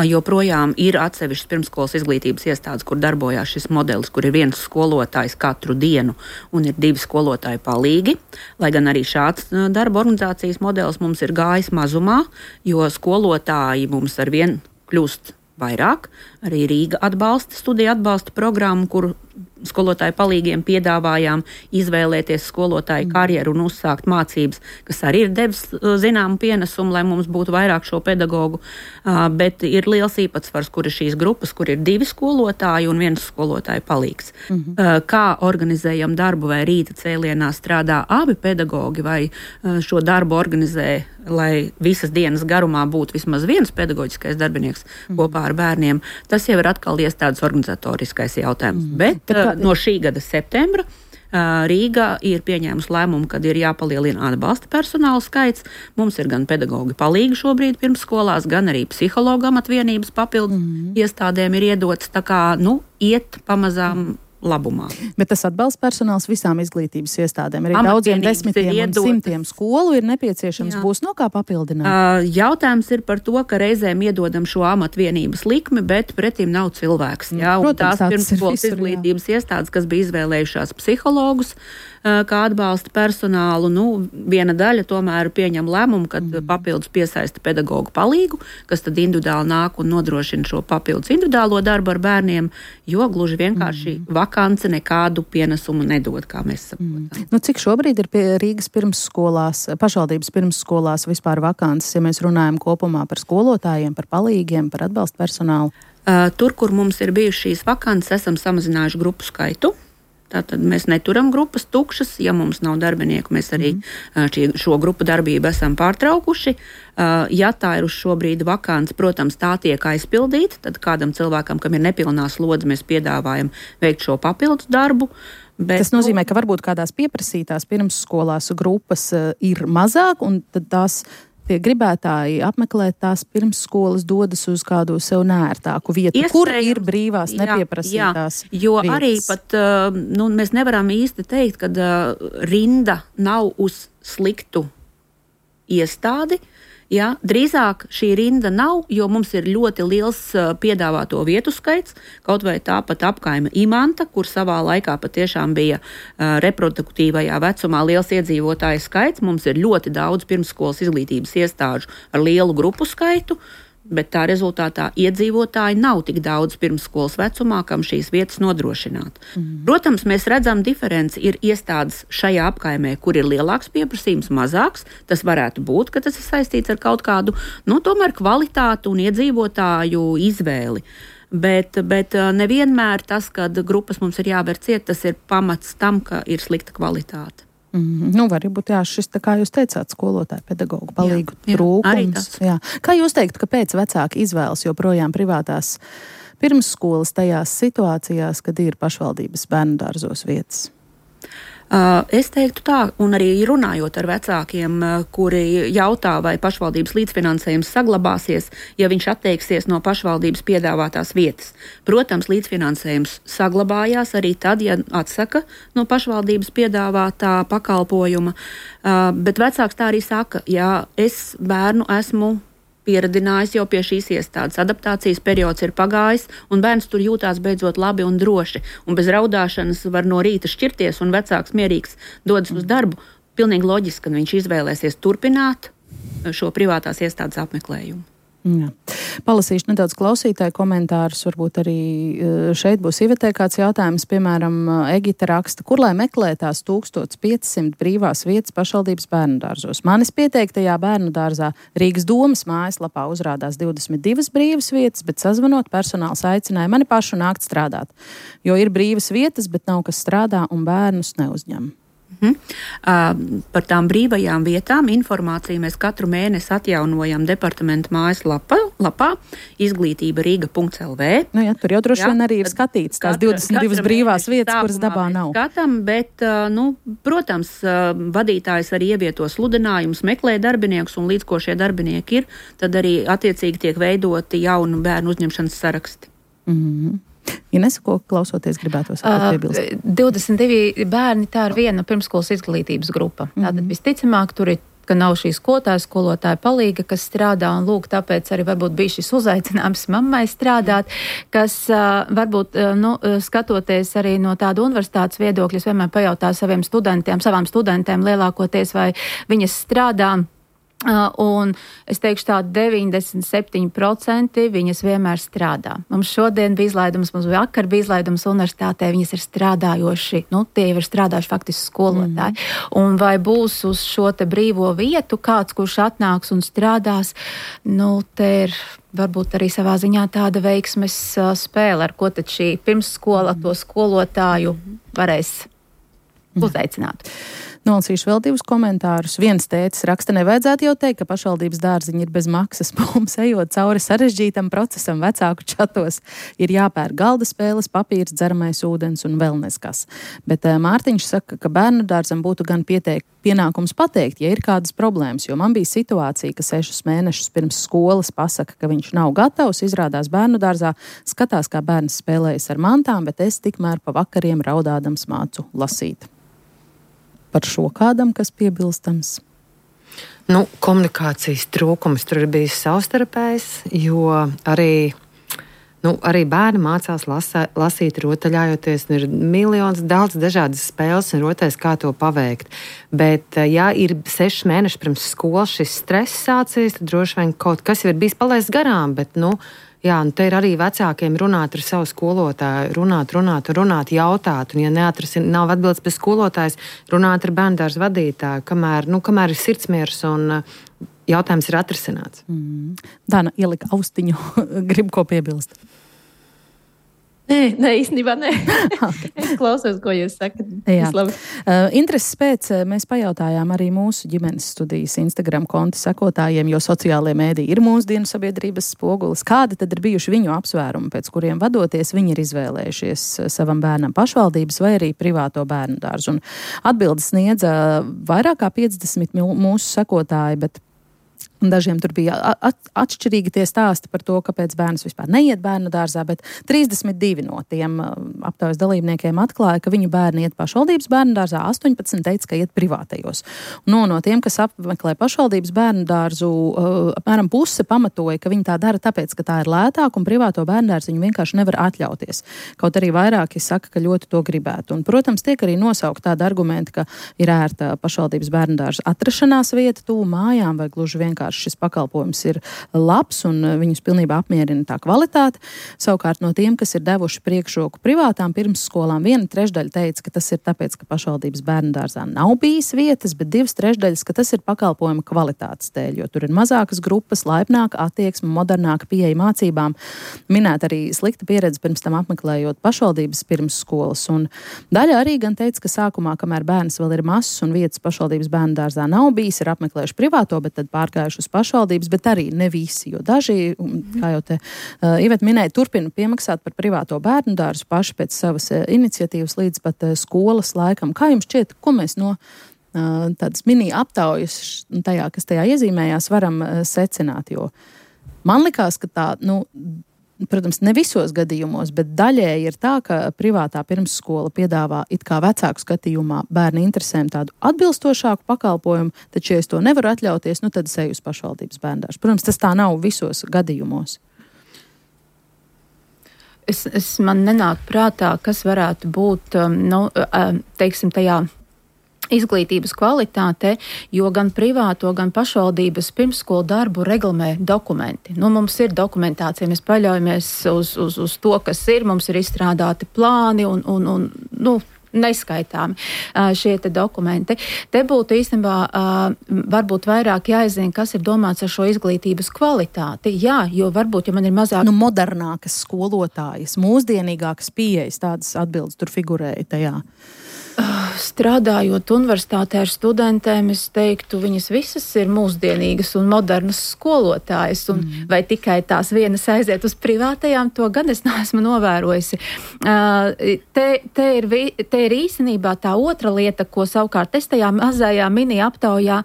Joprojām ir atsevišķas pirmsskolas izglītības iestādes, kur darbojās šis modelis, kur ir viens skolotājs katru dienu un ir 2 skolotāju palīgi. Lai gan arī šāds darba organizācijas modelis mums ir gājis mazumā, jo skolotāji mums ar vien kļūst vairāk. Arī Rīga atbalsta studiju atbalsta programmu, kur skolotāju palīgiem piedāvājām izvēlēties skolotāju karjeru un uzsākt mācības, kas arī ir devis zināmu pienesumu, lai mums būtu vairāk šo pedagogu. Bet ir liels īpatsvars, kur ir šīs grupas, kur ir 2 skolotāji un 1 skolotāju palīgs. Kā organizējam darbu, vai rīta cēlienā strādā abi pedagogi, vai šo darbu organizē, lai visas dienas garumā būtu vismaz 1 pedagoģiskais darbinieks kopā ar bērniem. Tas jau ir atkal iestādes organizatoriskais jautājums. Bet no šī gada septembra Rīga ir pieņēmusi lēmumu, kad ir jāpalielina atbalsta personāla skaits. Mums ir gan pedagogi palīgi šobrīd pirmsskolās, gan arī psihologu amatvienības papildu iestādēm ir iedots. Tā kā, iet pamazām labumā. Bet tas atbalsta personāls visām izglītības iestādēm. Arī daudziem desmitiem un simtiem skolu ir nepieciešams. Būs no kā papildināt? Jautājums ir par to, ka reizēm iedodam šo amatvienības likmi, bet pretim nav cilvēks. Un tās pirmsskolas izglītības iestādes, kas bija izvēlējušās psihologus kā atbalsta personālu, viena daļa tomēr pieņem lēmumu, kad papildus piesaista pedagogu palīgu, kas tad individuāli nāk un nodrošina šo papildus individuālo darbu ar bērniem, jo gluži vienkārši vakance nekādu pienesumu nedod, kā mēs saprotam. Cik šobrīd ir pie Rīgas pirmsskolās, pašvaldības pirmsskolās vispār vakances, ja mēs runājam kopumā par skolotājiem, par palīgiem, par atbalsta personālu? Tur, kur mums ir bijušas šīs vakances, esam samazinājuši grupu skaitu. Tātad mēs neturam grupas tukšas, ja mums nav darbinieku, mēs arī šo grupu darbību esam pārtraukuši. Ja tā ir uz šo brīdi vakants, protams, tā tiek aizpildīta, tad kādam cilvēkam, kam ir nepilnā slodze, mēs piedāvājam veikt šo papildus darbu. Bet, tas nozīmē, ka varbūt kādās pieprasītās pirmsskolās grupas ir mazāk, un tad tās tie gribētāji apmeklēt tās pirmsskolas dodas uz kādu sev nērtāku vietu, kur ir brīvās nepieprasītās jo vietas. Arī pat mēs nevaram īsti teikt, ka rinda nav uz sliktu iestādi. Ja, drīzāk šī rinda nav, jo mums ir ļoti liels piedāvāto vietu skaits, kaut vai tāpat apkaime Imanta, kur savā laikā patiešām bija reproduktīvajā vecumā liels iedzīvotāju skaits. Mums ir ļoti daudz pirmsskolas izglītības iestāžu ar lielu grupu skaitu, bet tā rezultātā iedzīvotāji nav tik daudz pirmsskolas vecumā, kam šīs vietas nodrošināt. Protams, mēs redzam diferenci. Ir iestādes šajā apkaimē, kur ir lielāks pieprasījums, mazāks. Tas varētu būt, ka tas ir saistīts ar kaut kādu, tomēr kvalitātu un iedzīvotāju izvēli. Bet nevienmēr tas, kad grupas mums ir jāver ciet, tas ir pamats tam, ka ir slikta kvalitāte. Varbūt šis, kā jūs teicāt, skolotāju pedagogu palīgu trūkums. Jā. Kā jūs teiktu, kāpēc vecāki izvēlas joprojām privātās pirmsskolas tajās situācijās, kad ir pašvaldības bērnu dārzos vietas? Es teiktu tā, un arī runājot ar vecākiem, kuri jautā, vai pašvaldības līdzfinansējums saglabāsies, ja viņš atteiksies no pašvaldības piedāvātās vietas. Protams, līdzfinansējums saglabājās arī tad, ja atsaka no pašvaldības piedāvātā pakalpojuma, bet vecāks tā arī saka, ja es bērnu esmu pieradinājis jau pie šīs iestādes. Adaptācijas periods ir pagājis, un bērns tur jūtās beidzot labi un droši. Un bez raudāšanas var no rīta šķirties, un vecāks mierīgs dodas uz darbu. Pilnīgi loģiski, ka viņš izvēlēsies turpināt šo privātās iestādes apmeklējumu. Jā. Palasīšu nedaudz klausītāju komentārus, varbūt arī šeit būs Ivetē kāds jautājums, piemēram, Egita raksta, kur lai meklē tās 1500 brīvās vietas pašvaldības bērnu dārzos. Manis pieteiktajā bērnu dārzā Rīgas domas mājaslapā uzrādās 22 brīvas vietas, bet sazvanot personāls aicināja mani pašu nākt strādāt, jo ir brīvas vietas, bet nav kas strādā un bērnus neuzņem. Par tām brīvajām vietām informāciju mēs katru mēnesi atjaunojam departamenta mājaslapā izglītība Riga.lv. Tur jau droši vien arī ir skatīts tās 22 brīvās vietas, kuras dabā nav. Skatam, bet, protams, vadītājs arī ievieto sludinājumus, meklē darbiniekus, un līdz ko šie darbinieki ir, tad arī attiecīgi tiek veidoti jaunu bērnu uzņemšanas saraksti. Ines, ko klausoties gribētos piebilst? 22 bērni, tā ir viena pirmsskolas izglītības grupa. Tātad visticamāk tur ir, ka nav šī skolotāja palīga, kas strādā, un lūk, tāpēc arī varbūt bija šis uzaicinājums mammai strādāt, kas varbūt, skatoties arī no tāda universitātes viedokļa, es vienmēr pajautāju savām studentēm lielākoties, vai viņas strādā. Un es teikšu tā 97% viņas vienmēr strādā. Mums šodien bija izlaidums, mums vakar bija izlaidums universitātē, viņas ir strādājoši, tie jau ir strādājuši faktiski skolotāji. Un vai būs uz šo te brīvo vietu kāds, kurš atnāks un strādās, te ir varbūt arī savā ziņā tāda veiksmes spēle, ar ko tad šī pirmsskola to skolotāju varēs uzaicināt. Nolasīšu vēl divus komentārus. Viens tēcis raksta, nevajadzētu jau teikt, ka pašvaldības dārziņi ir bez maksas. Mums ejot cauri sarežģītam procesam vecāku čatos ir jāpērk galda spēles, papīrs, dzeramais ūdens un vēl neskas. Bet Mārtiņš saka, ka bērnu dārzam būtu gan pienākums pateikt, ja ir kādas problēmas, jo man bija situācija, ka 6 mēnešus pirms skolas pasaka, ka viņš nav gatavs, izrādās bērnu dārzā, skatās, kā bērns spēlējas ar mantām, bet es tikmēr pa vakariem raudādams mācu lasīt. Par šo kādam, kas piebilstams? Komunikācijas trūkums tur ir bijis savstarpējs, jo arī bērni mācās lasīt, rotaļājoties, un ir miljons daudz dažādas spēles un rotais, kā to paveikt. Bet, ja ir 6 mēneši pirms skolas šis stress sācies, tad droši vien kaut kas ir bijis palaists garām, bet, te ir arī vecākiem runāt ar savu skolotāju, runāt, jautāt, un ja nav atbildes pēc skolotājas, runāt ar bērndārza vadītāju, kamēr ir sirdsmiers un jautājums ir atrisināts. Dana ielika austiņu, grib ko piebilst. Nē, īstenībā nē. Es klausos, ko jūs sakat. Intereses pēc mēs pajautājām arī mūsu ģimenes studijas Instagram konta sekotājiem, jo sociālajie mēdī ir mūsdienu sabiedrības spogulis. Kādi tad ir bijuši viņu apsvērumi, pēc kuriem vadoties viņi ir izvēlējušies savam bērnam pašvaldības vai arī privāto bērnu dārzu? Un atbildes sniedza vairāk kā 50 mūsu sekotāji, bet dažiem tur bija atšķirīgi tie stāsti par to, kāpēc bērns vispār neiet bērnu dārzā, bet 32 no tiem aptaujas dalībniekiem atklāja, ka viņu bērni iet pašvaldības bērnu dārzā, 18 teica, ka iet privātajos. No tiem, kas apmeklē pašvaldības bērnu dārzu, apmēram puse pamatoja, ka viņi tā dara tāpēc, ka tā ir lētāk un privāto bērnu dārzu viņi vienkārši nevar atļauties. Kaut arī vairāki saka, ka ļoti to gribētu. Un, protams, tiek arī nosaukt tādi argumenti, ka ir ērta pašvaldības bērnu dārza atrašanās vieta tuvu mājām vai gluži vienkārši šis pakalpojums ir labs un viņus pilnībā apmierina tā kvalitāte. Savukārt no tiem, kas ir devuši priekšroku privātām pirmsskolām, 1/3 teica, ka tas ir tāpēc, ka pašvaldības bērnu dārzā nav bijis vietas, bet 2/3, ka tas ir pakalpojuma kvalitātes dēļ, jo tur ir mazākas grupas, laipnāka attieksme, modernāka pieeja mācībām. Minēt arī slikta pieredze pirms tam apmeklējot pašvaldības pirmsskolas. Un daļa arī gan teica, ka sākumā, kamēr bērns vēl ir mazs un vietas pašvaldības bērnu dārzā nav bijis, ir apmeklējuši privāto, bet tad pārgājuši uz pašvaldības, bet arī ne visi, jo daži, kā jau te Iveta minēja, turpina piemaksāt par privāto bērnu dārzu paši pēc savas iniciatīvas līdz pat skolas laikam. Kā jums šķiet, ko mēs no tādas mini aptaujas tajā, kas tajā iezīmējās, varam secināt? Jo man likās, ka tā, protams, ne visos gadījumos, bet daļēji ir tā, ka privātā pirmsskola piedāvā it kā vecāku skatījumā bērnu interesēm tādu atbilstošāku pakalpojumu, taču, ja es to nevaru atļauties, tad es eju uz pašvaldības bērnu dārzu. Protams, tas tā nav visos gadījumos. Man nenāk prātā, kas varētu būt, teiksim, tajā izglītības kvalitāte, jo gan privāto, gan pašvaldības pirmsskolu darbu reglamē dokumenti. Mums ir dokumentācija, mēs paļaujamies uz to, kas ir, mums ir izstrādāti plāni un neskaitāmi šie te dokumenti. Te būtu īstenībā varbūt vairāk jāizzina, kas ir domāts ar šo izglītības kvalitāti. Jā, jo varbūt, ja man ir mazāk... modernākas skolotājas, mūsdienīgākas pieejas, tādas atbildes tur figurēja tajā. Strādājot universitātē ar studentēm, es teiktu, viņas visas ir mūsdienīgas un modernas skolotājas, vai tikai tās vienas aiziet uz privātajām, to gan es neesmu novērojusi. Te ir īstenībā tā otra lieta, ko savukārt es tajā mazajā mini aptaujā,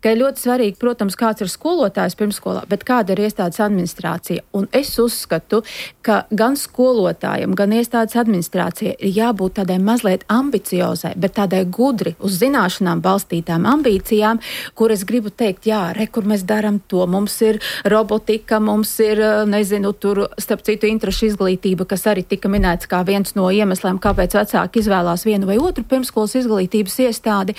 ka ir ļoti svarīgi, protams, kāds ir skolotājs pirmskolā, bet kāda ir iestādes administrācija. Un es uzskatu, ka gan skolotājiem, gan iestādes administrācija ir jābūt tādai mazliet ambiciozai, bet tādai gudri uz zināšanām balstītām ambīcijām, kur es gribu teikt, kur mēs daram to. Mums ir robotika, mums ir, tur, starp citu, interešu izglītība, kas arī tika minēts kā viens no iemesliem, kāpēc vecāki izvēlās vienu vai otru pirmskolas izglītības iestādi.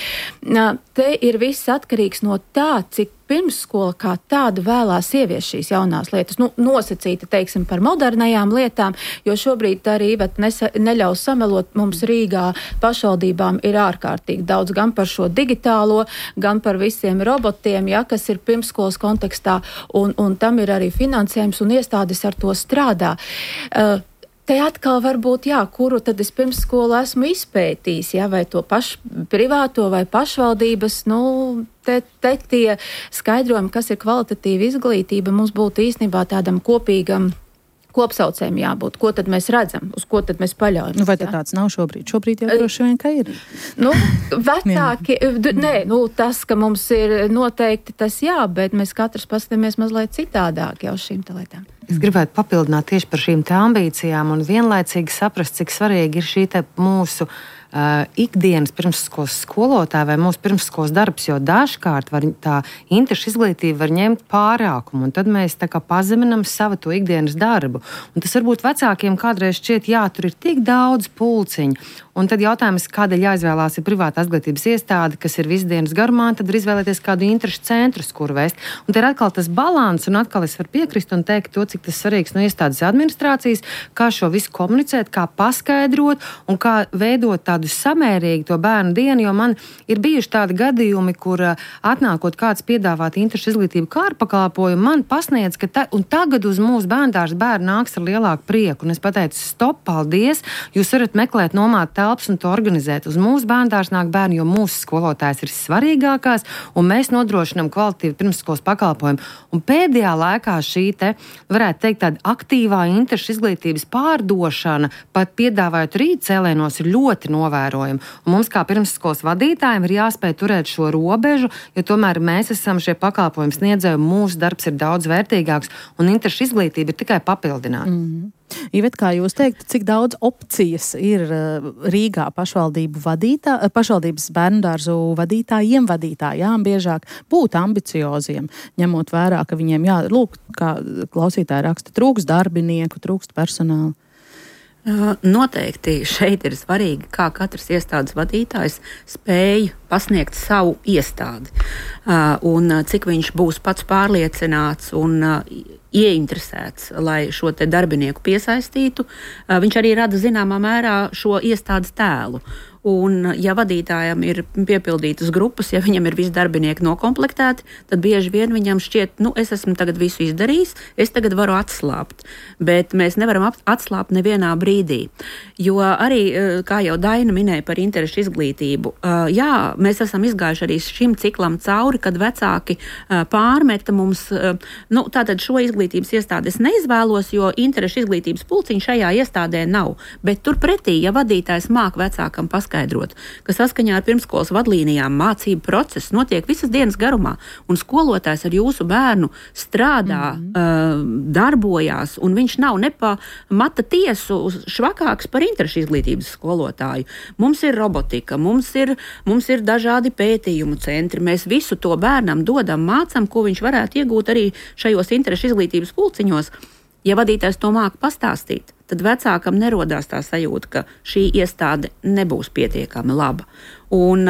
Te ir viss atkarīgs no tā, cik pirmsskola kā tāda vēlās ievies šīs jaunās lietas. Nosacīta, teiksim, par modernajām lietām, jo šobrīd arī neļaus samelot. Mums Rīgā pašvaldībām ir ārkārtīgi daudz gan par šo digitālo, gan par visiem robotiem, kas ir pirmsskolas kontekstā, un tam ir arī finansējums, un iestādes ar to strādā. Te atkal varbūt, kuru tad es pirmsskolu esmu izpētījis, vai to privāto vai pašvaldības, te tie skaidrojumi, kas ir kvalitatīva izglītība, mums būtu īstenībā tādam kopīgam kopsaucējiem jābūt. Ko tad mēs redzam? Uz ko tad mēs paļaujamies? Vai tāds nav šobrīd? Šobrīd jau droši vien, ka ir. Vecāki, tas, ka mums ir noteikti tas bet mēs katrs paskatāmies mazliet citādāk jau šīm lietām. Es gribētu papildināt tieši par šīm ambīcijām un vienlaicīgi saprast, cik svarīgi ir šī mūsu ikdienas pirmsskolas skolotāja vai mūsu pirmsskolas darbs, jo dažkārt tā interešu izglītība var ņemt pārākumu, un tad mēs tā kā pazeminam savu to ikdienas darbu. Un tas varbūt vecākiem kādreiz šķiet, tur ir tik daudz pulciņu, Un tad jautājums, kādēļ jāizvēlās ir privāta izglītības iestāde, kas ir visdienas garumā, tad var izvēlēties kādu interešu centru, kur vēst. Un te ir atkal tas balans, un atkal es varu piekrist un teikt to, cik tas svarīgs no iestādes administrācijas, kā šo visu komunicēt, kā paskaidrot un kā veidot tādu samērīgu to bērnu dienu, jo man ir bijuši tādi gadījumi, kur atnākot kāds piedāvāt interešu izglītību kā ar pakalpojumu, man pasniedz, ka un tagad uz mūsu bērndārs bērni nāks ar lielāku prieku. Un es pateicu, stop, paldies, jūs varat meklēt nomāt telpas un to organizēt. Uz mūsu bērndārs nāk bērni, jo mūsu skolotājs ir svarīgākās, un mēs nodrošinām kvalitīvu pirmsskolas pakalpojumu. Un pēdējā laikā šī varētu teikt, tāda aktīvā interešu izglītības pārdošana, pat piedāvājot rīt cēlienos, ir ļoti novērojama. Un mums kā pirmsskolas vadītājiem ir jāspēj turēt šo robežu, jo tomēr mēs esam šie pakalpojumi sniedzēji, mūsu darbs ir daudz vērtīgāks, un interešu izglītība ir tikai papildināta. Ivet, kā jūs teiktu, cik daudz opcijas ir Rīgā pašvaldības bērndārzu vadītājām biežāk būt ambicioziem, ņemot vērā, ka viņiem kā klausītāji raksta, trūkst darbinieku, trūkst personāla? Noteikti šeit ir svarīgi, kā katrs iestādes vadītājs spēj pasniegt savu iestādi un cik viņš būs pats pārliecināts un ieinteresēts, lai šo te darbinieku piesaistītu. Viņš arī rada zināmā mērā šo iestādes tēlu. Un, ja vadītājam ir piepildītas grupas, ja viņam ir visi darbinieki nokomplektēti, tad bieži vien viņam šķiet, es esmu tagad visu izdarījis, es tagad varu atslābt. Bet mēs nevaram atslābt nevienā brīdī. Jo arī, kā jau Daina minēja par interešu izglītību, mēs esam izgājuši arī šim ciklam cauri, kad vecāki pārmeta mums, tātad šo izglītības iestādi es neizvēlos, jo interešu izglītības pulciņa šajā iestādē nav. Bet turpretī, ja vadītājs māk vecākam paskaidrot, ka saskaņā ar pirmskolas vadlīnijām mācību process notiek visas dienas garumā, un skolotājs ar jūsu bērnu strādā, darbojās, un viņš nav ne pa mata tiesu švakāks par interešu izglītības skolotāju. Mums ir robotika, mums ir dažādi pētījumu centri, mēs visu to bērnam dodam, mācam, ko viņš varētu iegūt arī šajos interešu izglītības pulciņos. Ja vadītājs to māca pastāstīt, tad vecākam nerodās tā sajūta, ka šī iestāde nebūs pietiekami laba. Un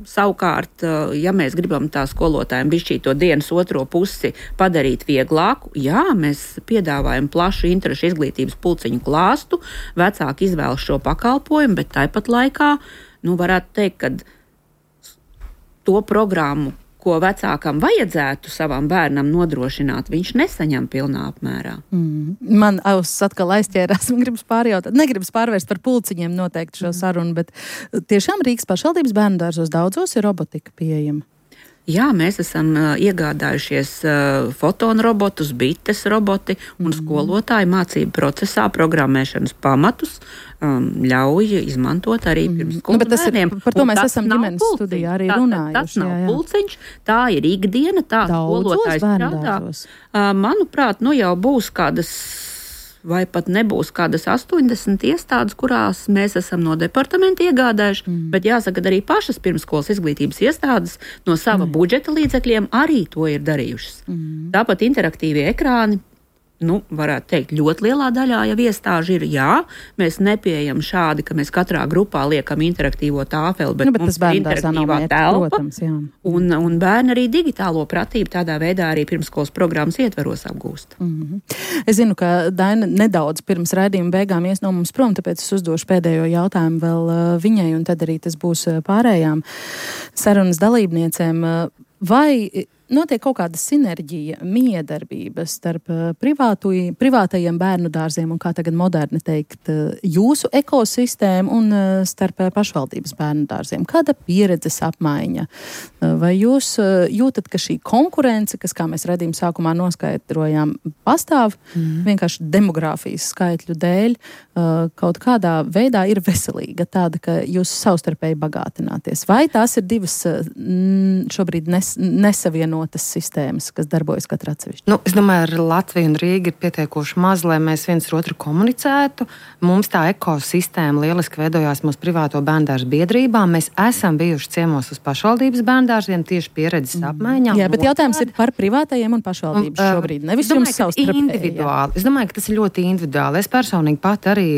savukārt, ja mēs gribam tā skolotājiem bišķīt to dienas otro pusi padarīt vieglāku, mēs piedāvājam plašu interešu izglītības pulciņu klāstu, vecāki izvēlas šo pakalpojumu, bet tāpat laikā, varētu teikt, ka to programmu, ko vecākam vajadzētu savam bērnam nodrošināt, viņš nesaņem pilnā apmērā. Man atkal aizķērās, man gribas pārjautāt, negribas pārvērst par pulciņiem noteikti šo sarunu, bet tiešām Rīgas pašvaldības bērndārzos daudzos ir robotika pieejama. Jā, mēs esam iegādājušies fotonu robotus, bites roboti un skolotāji mācību procesā programmēšanas pamatus ļauj izmantot arī pirmsskolas bērniem. Par to mēs esam ģimenes studijā arī runājuši. Tas nav pulciņš, tā ir ikdiena, tā skolotājs strādā. Manuprāt, jau būs kādas vai pat nebūs kādas 80 iestādes, kurās mēs esam no departamenta iegādājuši, bet jāsaka, arī pašas pirmskolas izglītības iestādes no sava budžeta līdzekļiem arī to ir darījušas. Tāpat interaktīvie ekrāni, varētu teikt, ļoti lielā daļā jau iestāžu ir, mēs nepieejam šādi, ka mēs katrā grupā liekam interaktīvo tāfeli, bet mums ir interaktīvā telpa, protams, un bērni arī digitālo pratību tādā veidā arī pirmskolas programmas ietveros apgūst. Es zinu, ka Daina nedaudz pirms raidījuma beigām ies no mums prom, tāpēc es uzdošu pēdējo jautājumu vēl viņai, un tad arī tas būs pārējām sarunas dalībniecēm. Vai notiek kaut kāda sinerģija, miedarbība starp privātajiem bērnu dārziem un, kā tagad moderni teikt, jūsu ekosistēmu un starp pašvaldības bērnu dārziem? Kāda pieredzes apmaiņa? Vai jūs jūtat, ka šī konkurence, kas, kā mēs redzījuma sākumā noskaidrojām, pastāv vienkārši demogrāfijas skaitļu dēļ, kaut kādā veidā ir veselīga, tāda, ka jūs savstarpēji bagātināties? Vai tās ir divas šobrīd nesavienotas vienotas sistēmas, kas darbojas katra atsevišķi? Nu, es domāju, ar Latviju un Rīgu ir pietiekoši maz, lai mēs viens ar otru komunicētu. Mums tā ekosistēma lieliski veidojās mūsu privāto bērndārzu biedrībā. Mēs esam bijuši ciemos uz pašvaldības bērndārziem tieši pieredzes apmaiņā. Jā, bet jautājums ir par privātajiem un pašvaldības šobrīd. Nevis jums individuāli. Es domāju, ka tas ir ļoti individuāli. Es personīgi pat arī,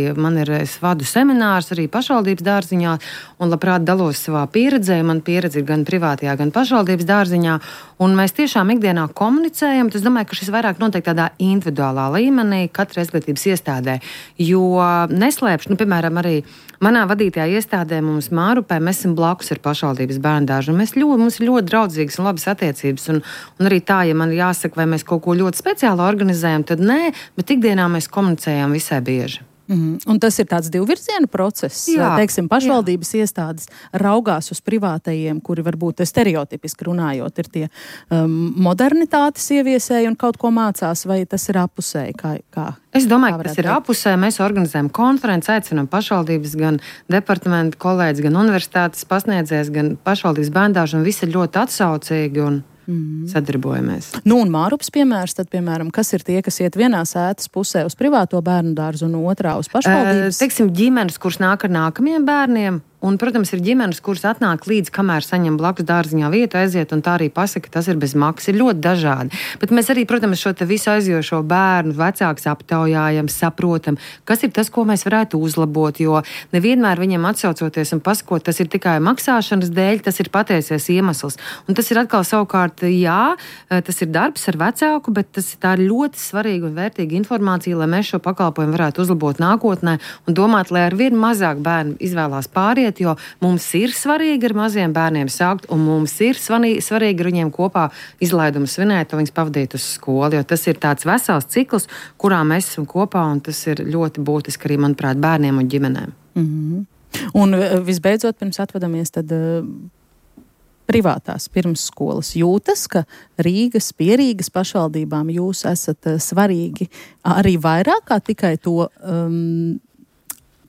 es vadu seminārus arī pašvaldības dārziņā un labprāt dalos savā pieredzē. Man pieredze ir gan privātajā, gan pašvaldības dārziņā. Un mēs tiešām ikdienā komunicējam. Es domāju, ka šis vairāk notiek tādā individuālā līmenī, katra izglītības iestādē. Jo neslēpšu, piemēram, arī manā vadītajā iestādē mums Mārupē, mēs esam blakus ar pašvaldības bērndārzu. Mums ir ļoti draudzīgas un labas attiecības. Un arī tā, ja man jāsaka, vai mēs kaut ko ļoti speciāli organizējam, tad nē, bet ikdienā mēs komunicējam visai bieži. Un tas ir tāds divvirzienu process. Jā, teiksim, pašvaldības iestādes raugās uz privātajiem, kuri varbūt stereotipiski runājot ir tie modernitātes ieviesēji un kaut ko mācās, vai tas ir apusēji? Es domāju, ka tas ir apusēji. Mēs organizējam konferenci, aicinām pašvaldības, gan departamentu kolēģis, gan universitātes pasniedzējs, gan pašvaldības bērndārzu, un visi ir ļoti atsaucīgi un sadarbojamies. Nu, un Mārups piemērs, tad, piemēram, kas ir tie, kas iet vienā sētas pusē uz privāto bērnu dārzu un otrā uz pašvaldības? Teiksim, ģimenes, kuras nāk ar nākamajiem bērniem. Un, protams, ir ģimenes, kuras atnāk līdz, kamēr saņem blakus dārziņā vietu, aiziet un tā arī pasaka, ka tas ir bez maksas. Ir ļoti dažādi. Bet mēs arī, protams, šo te visu aizjošo bērnu vecākus aptaujājam, saprotam, kas ir tas, ko mēs varētu uzlabot, jo nevienmēr viņiem atsaucoties un pasakot, tas ir tikai maksāšanas dēļ, tas ir patiesies iemesls. Un tas ir atkal savukārt, jā, tas ir darbs ar vecāku, bet tā ir ļoti svarīga un vērtīga informācija, lai mēs šo pakalpojumu varētu uzlabot nākotnē un domāt, lai ar vien mazāk bērnu izvēlās pāriet, jo mums ir svarīgi ar maziem bērniem sākt, un mums ir svarīgi ar viņiem kopā izlaidumu svinēt, un viņus pavadīt uz skolu, jo tas ir tāds vesels cikls, kurā mēs esam kopā, un tas ir ļoti būtiski arī, manuprāt, bērniem un ģimenēm. Un visbeidzot, pirms atvadamies, tad privātās pirmsskolas jūtas, ka pie Rīgas pašvaldībām jūs esat svarīgi arī vairāk kā tikai to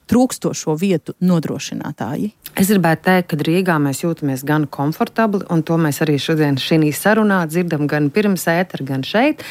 trūkstošo vietu nodrošinātāji? Es gribētu teikt, ka Rīgā mēs jūtamies gan komfortabli, un to mēs arī šodien šī sarunā dzirdam gan pirms ētera, gan šeit,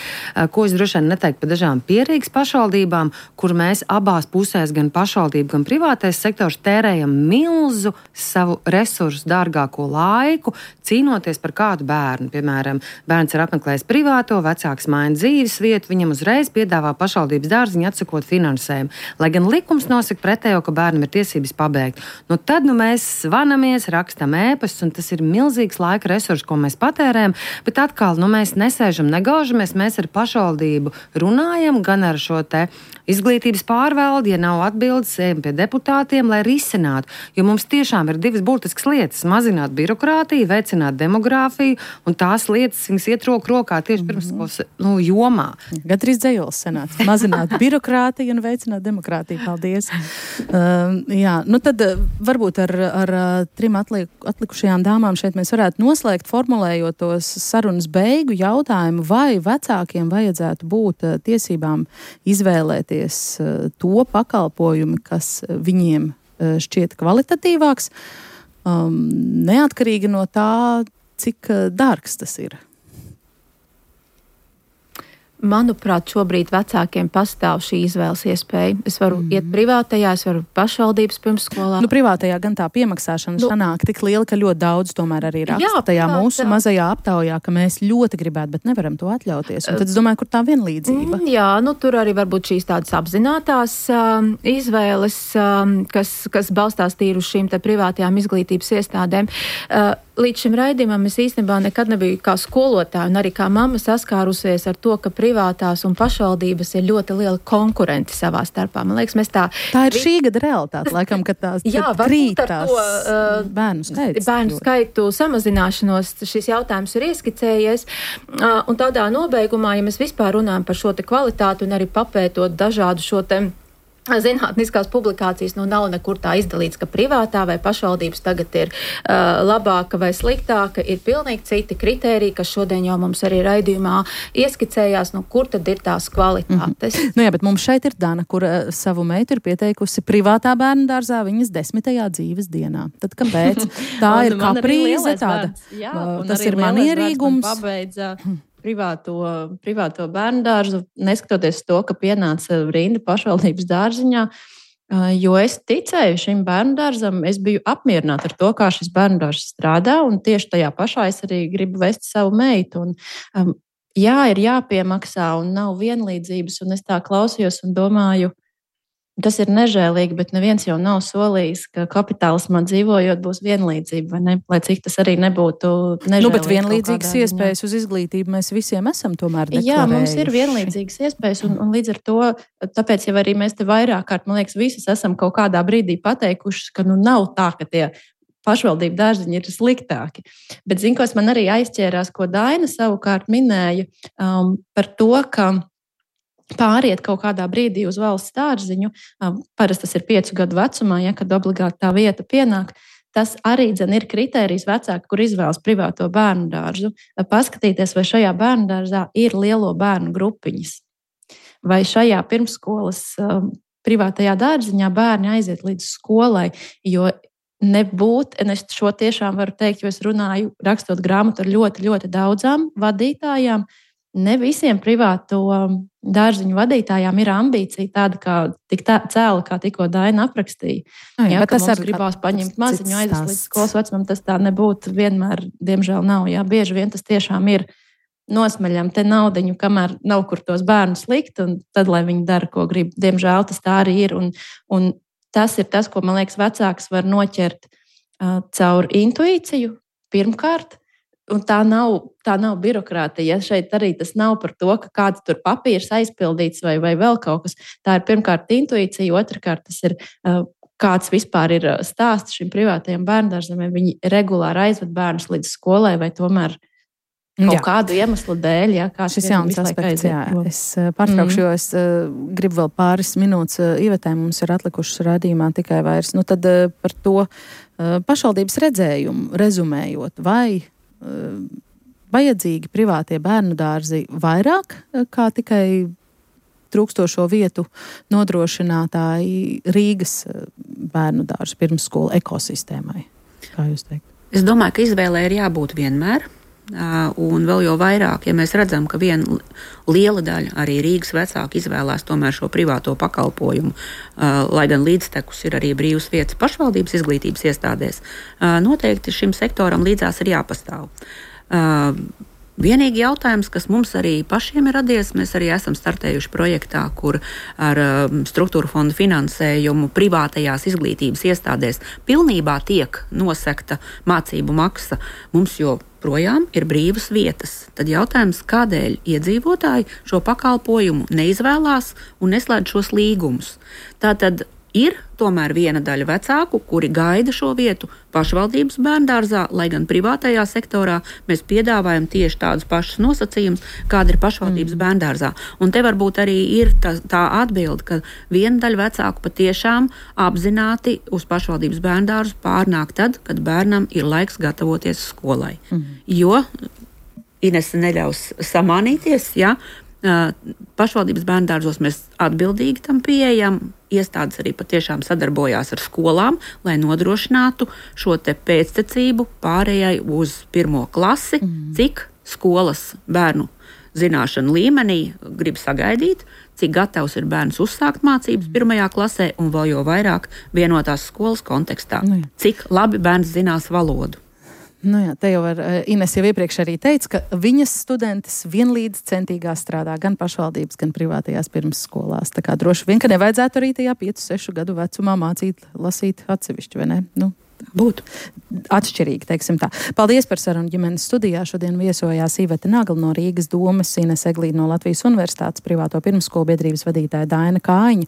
ko es droši vien neteiktu par dažām pierīgas pašvaldībām, kur mēs abās pusēs, gan pašvaldība, gan privātais sektors tērējam milzu savu resursu, dārgāko laiku, cīnoties par kādu bērnu. Piemēram, bērns ir apmeklējis privāto, vecāks maina dzīves vietu, viņam uzreiz piedāvā pašvaldības dārziņu atsakot finansējumu. Lai gan likums nosaka pretējo, ka bērnam ir tiesības pabeigt. Tad mēs zvanamies, rakstam ēpastus, un tas ir milzīgs laika resurs, ko mēs patērējam, bet atkal, mēs nesēžam, negaužamies, mēs ar pašvaldību runājam, gan ar šo te izglītības pārvaldi, ja nav atbildes, ejam pie deputātiem, lai risinātu, jo mums tiešām ir divas būtiskas lietas - mazināt birokrātiju, veicināt demogrāfiju, un tās lietas, viņas iet roku rokā tieši pirmskolas jomā. Gandrīz dzējols senāts. Mazināt birokrātiju un veicināt demokrātiju. Paldies. Jā, tad varbūt ar trim atlikušajām dāmām šeit mēs varētu noslēgt, formulējot tos sarunas beigu jautājumu, vai vecākiem vajadzētu būt tiesībām izvēlēties to pakalpojumu, kas viņiem šķiet kvalitatīvāks, neatkarīgi no tā, cik dārgs tas ir. Manuprāt, šobrīd vecākiem pastāv šī izvēles iespēja. Es varu iet privātajā, es varu pašvaldības pirmsskolā. Privātajā gan tā piemaksāšana sanāk tik liela, ka ļoti daudz tomēr arī raksta tajā mūsu mazajā aptaujā, ka mēs ļoti gribētu, bet nevaram to atļauties. Un tad es domāju, kur tā vienlīdzība. Jā, tur arī varbūt šīs tādas apzinātās izvēles, kas balstās tīri uz šīm te privātajām izglītības iestādēm. Līdz šim raidījumam es īstenībā nekad nebiju kā skolotāja un arī kā mamma saskārusies ar to, ka privātās un pašvaldības ir ļoti liela konkurenti savā starpā. Man liekas, tā ir šī gada realitāte, laikam, kad tās krītās bērnu skaitu samazināšanos šis jautājums ir ieskicējies. Un tādā nobeigumā, ja mēs vispār runājam par šo te kvalitāti un arī papētot dažādu šo te zinātniskās publikācijas nav nekur tā izdalīts, ka privātā vai pašvaldības tagad ir labāka vai sliktāka, ir pilnīgi citi kritēriji, kas šodien jau mums arī raidījumā ieskicējās, kur tad ir tās kvalitātes. Jā, bet mums šeit ir Dana, kur savu meitu ir pieteikusi privātā bērnu dārzā viņas 10. dzīves dienā. Tad kāpēc? Tā ir kaprīze tāda. Jā, tas ir manierīgums. Pabeidza privāto bērnu dārzu, neskatoties to, ka pienāca rinda pašvaldības dārziņā, jo es ticēju šim bērnu dārzam, es biju apmierināta ar to, kā šis bērnu dārzs strādā, un tieši tajā pašā es arī gribu vest savu meitu. Un, jā, ir jāpiemaksā un nav vienlīdzības, un es tā klausījos un domāju, tas ir nežēlīgi, bet neviens jau nav solījis, ka kapitālismā dzīvojot būs vienlīdzība, vai ne? Lai cik tas arī nebūtu nežēlīgi. Bet vienlīdzīgas iespējas uz izglītību mēs visiem esam tomēr deklarējuši. Jā, mums ir vienlīdzīgas iespējas, un līdz ar to, tāpēc jau arī mēs te vairāk kārt, man liekas, visus esam kaut kādā brīdī pateikuši, ka nav tā, ka tie pašvaldību dārziņi ir sliktāki. Bet, kas man arī aizķērās, ko Daina savukārt minēja par to, ka pāriet kaut kādā brīdī uz valsts dārziņu, parasti tas ir 5 gadu vecumā, kad obligāti tā vieta pienāk, tas arī ir kritērijs vecāki, kur izvēlas privāto bērnu dārzu. Paskatīties, vai šajā bērnu dārzā ir lielo bērnu grupiņas, vai šajā pirmsskolas privātajā dārziņā bērni aiziet līdz skolai, jo nebūt, un es šo tiešām varu teikt, jo es runāju, rakstot grāmatu ar ļoti, ļoti daudzām vadītājām. Ne visiem privāto dārziņu vadītājām ir ambīcija tāda, kā tik cēla, kā tikko Daina aprakstīja. Jā, ka tas arī gribās paņemt maziņu aizvest līdz skolas vecumam, tas tā nebūtu vienmēr, diemžēl nav. Jā, bieži vien tas tiešām ir nosmaļam te naudiņu, kamēr nav kur tos bērnus likt, un tad, lai viņi dara, ko grib. Diemžēl tas tā arī ir, un tas ir tas, ko, man liekas, vecāks var noķert caur intuīciju pirmkārt. Un tā nav birokrātija. Šeit arī tas nav par to, ka kāds tur papīrs aizpildīts vai vēl kaut kas. Tā ir pirmkārt intuīcija, otrkārt tas ir kāds vispār ir stāsts šim privātajam bērndārzam, vai viņi regulāri aizved bērnus līdz skolai vai tomēr kaut kādu iemeslu dēļ. Jā, šis jauns aspekts, jā. Es pārtraukšu, jo es gribu vēl pāris minūtes Ivetē, mums ir atlikušas raidījumā tikai vairs. Tad par to pašvaldības redzējumu rezumējot, vai vajadzīgi privātie bērnu dārzi vairāk kā tikai trūkstošo vietu nodrošinātāji Rīgas bērnu dārzu pirmsskolu ekosistēmai? Kā jūs teikt? Es domāju, ka izvēlē ir jābūt vienmēr. Un vēl jau vairāk, ja mēs redzam, ka viena liela daļa arī Rīgas vecāki izvēlās tomēr šo privāto pakalpojumu, lai gan līdztekus ir arī brīvas vietas pašvaldības izglītības iestādēs, noteikti šim sektoram līdzās ir jāpastāv. Vienīgi jautājums, kas mums arī pašiem ir radies, mēs arī esam startējuši projektā, kur ar struktūra fonda finansējumu privātajās izglītības iestādēs pilnībā tiek nosekta mācību maksa. Mums joprojām ir brīvas vietas. Tad jautājums, kādēļ iedzīvotāji šo pakalpojumu neizvēlās un neslēdz šos līgumus. Tātad ir tomēr viena daļa vecāku, kuri gaida šo vietu pašvaldības bērndārzā, lai gan privātajā sektorā mēs piedāvājam tieši tādus pašus nosacījumus, kāda ir pašvaldības bērndārzā. Un te varbūt arī ir tā atbilde, ka viena daļa vecāku patiešām apzināti uz pašvaldības bērndārzu pārnāk tad, kad bērnam ir laiks gatavoties skolai. Jo Inese neļaus samānīties, ja pašvaldības bērndārzos mēs atbildīgi tam pieejam. Iestādes arī patiešām sadarbojās ar skolām, lai nodrošinātu šo te pēctecību pārējai uz 1. klasi, cik skolas bērnu zināšanu līmenī grib sagaidīt, cik gatavs ir bērns uzsākt mācības 1. klasē un vēl jau vairāk vienotās skolas kontekstā. Cik labi bērns zinās valodu. Jā, te jau Ines jau iepriekš arī teica, ka viņas studentes vienlīdz centīgās strādā gan pašvaldības, gan privātajās pirmsskolās. Tā kā droši vien, ka nevajadzētu arī tajā 5-6 gadu vecumā mācīt, lasīt atsevišķi, vai ne? Būtu. Atšķirīgi, teiksim tā. Paldies par sarunu ģimenes studijā. Šodien viesojās Iveta Nagla no Rīgas domas, Ines Eglīte no Latvijas Universitātes, privāto pirmsskolu biedrības vadītāja Daina Kājiņa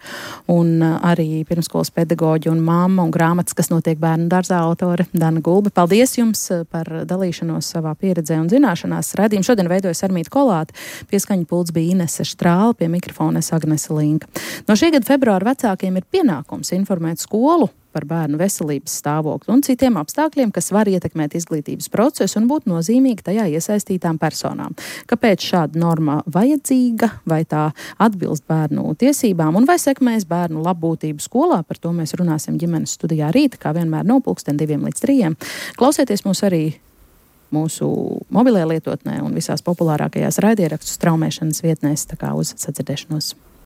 un arī pirmsskolas pedagoģi un mamma un grāmatas, kas notiek bērnu dārzā autore Dana Gulbe. Paldies jums par dalīšanos savā pieredzē un zināšanās. Raidījumu šodien veidoja Sarmīta Kolāte, pieskaņu pults bija Inese Štrāle, pie mikrofona Agnese Linka. No šī gada februāra vecākiem ir pienākums informēt skolu par bērnu veselības stāvokli un citiem apstākļiem, kas var ietekmēt izglītības procesu un būt nozīmīgi tajā iesaistītām personām. Kāpēc šāda norma vajadzīga, vai tā atbilst bērnu tiesībām un vai sekmēs bērnu labbūtību skolā? Par to mēs runāsim ģimenes studijā rīt, kā vienmēr no 2 līdz 3. Klausieties mūs arī mūsu mobilajā lietotnē un visās populārākajās raidierakstu straumēšanas vietnēs, tā kā uz sadzirdēšanos.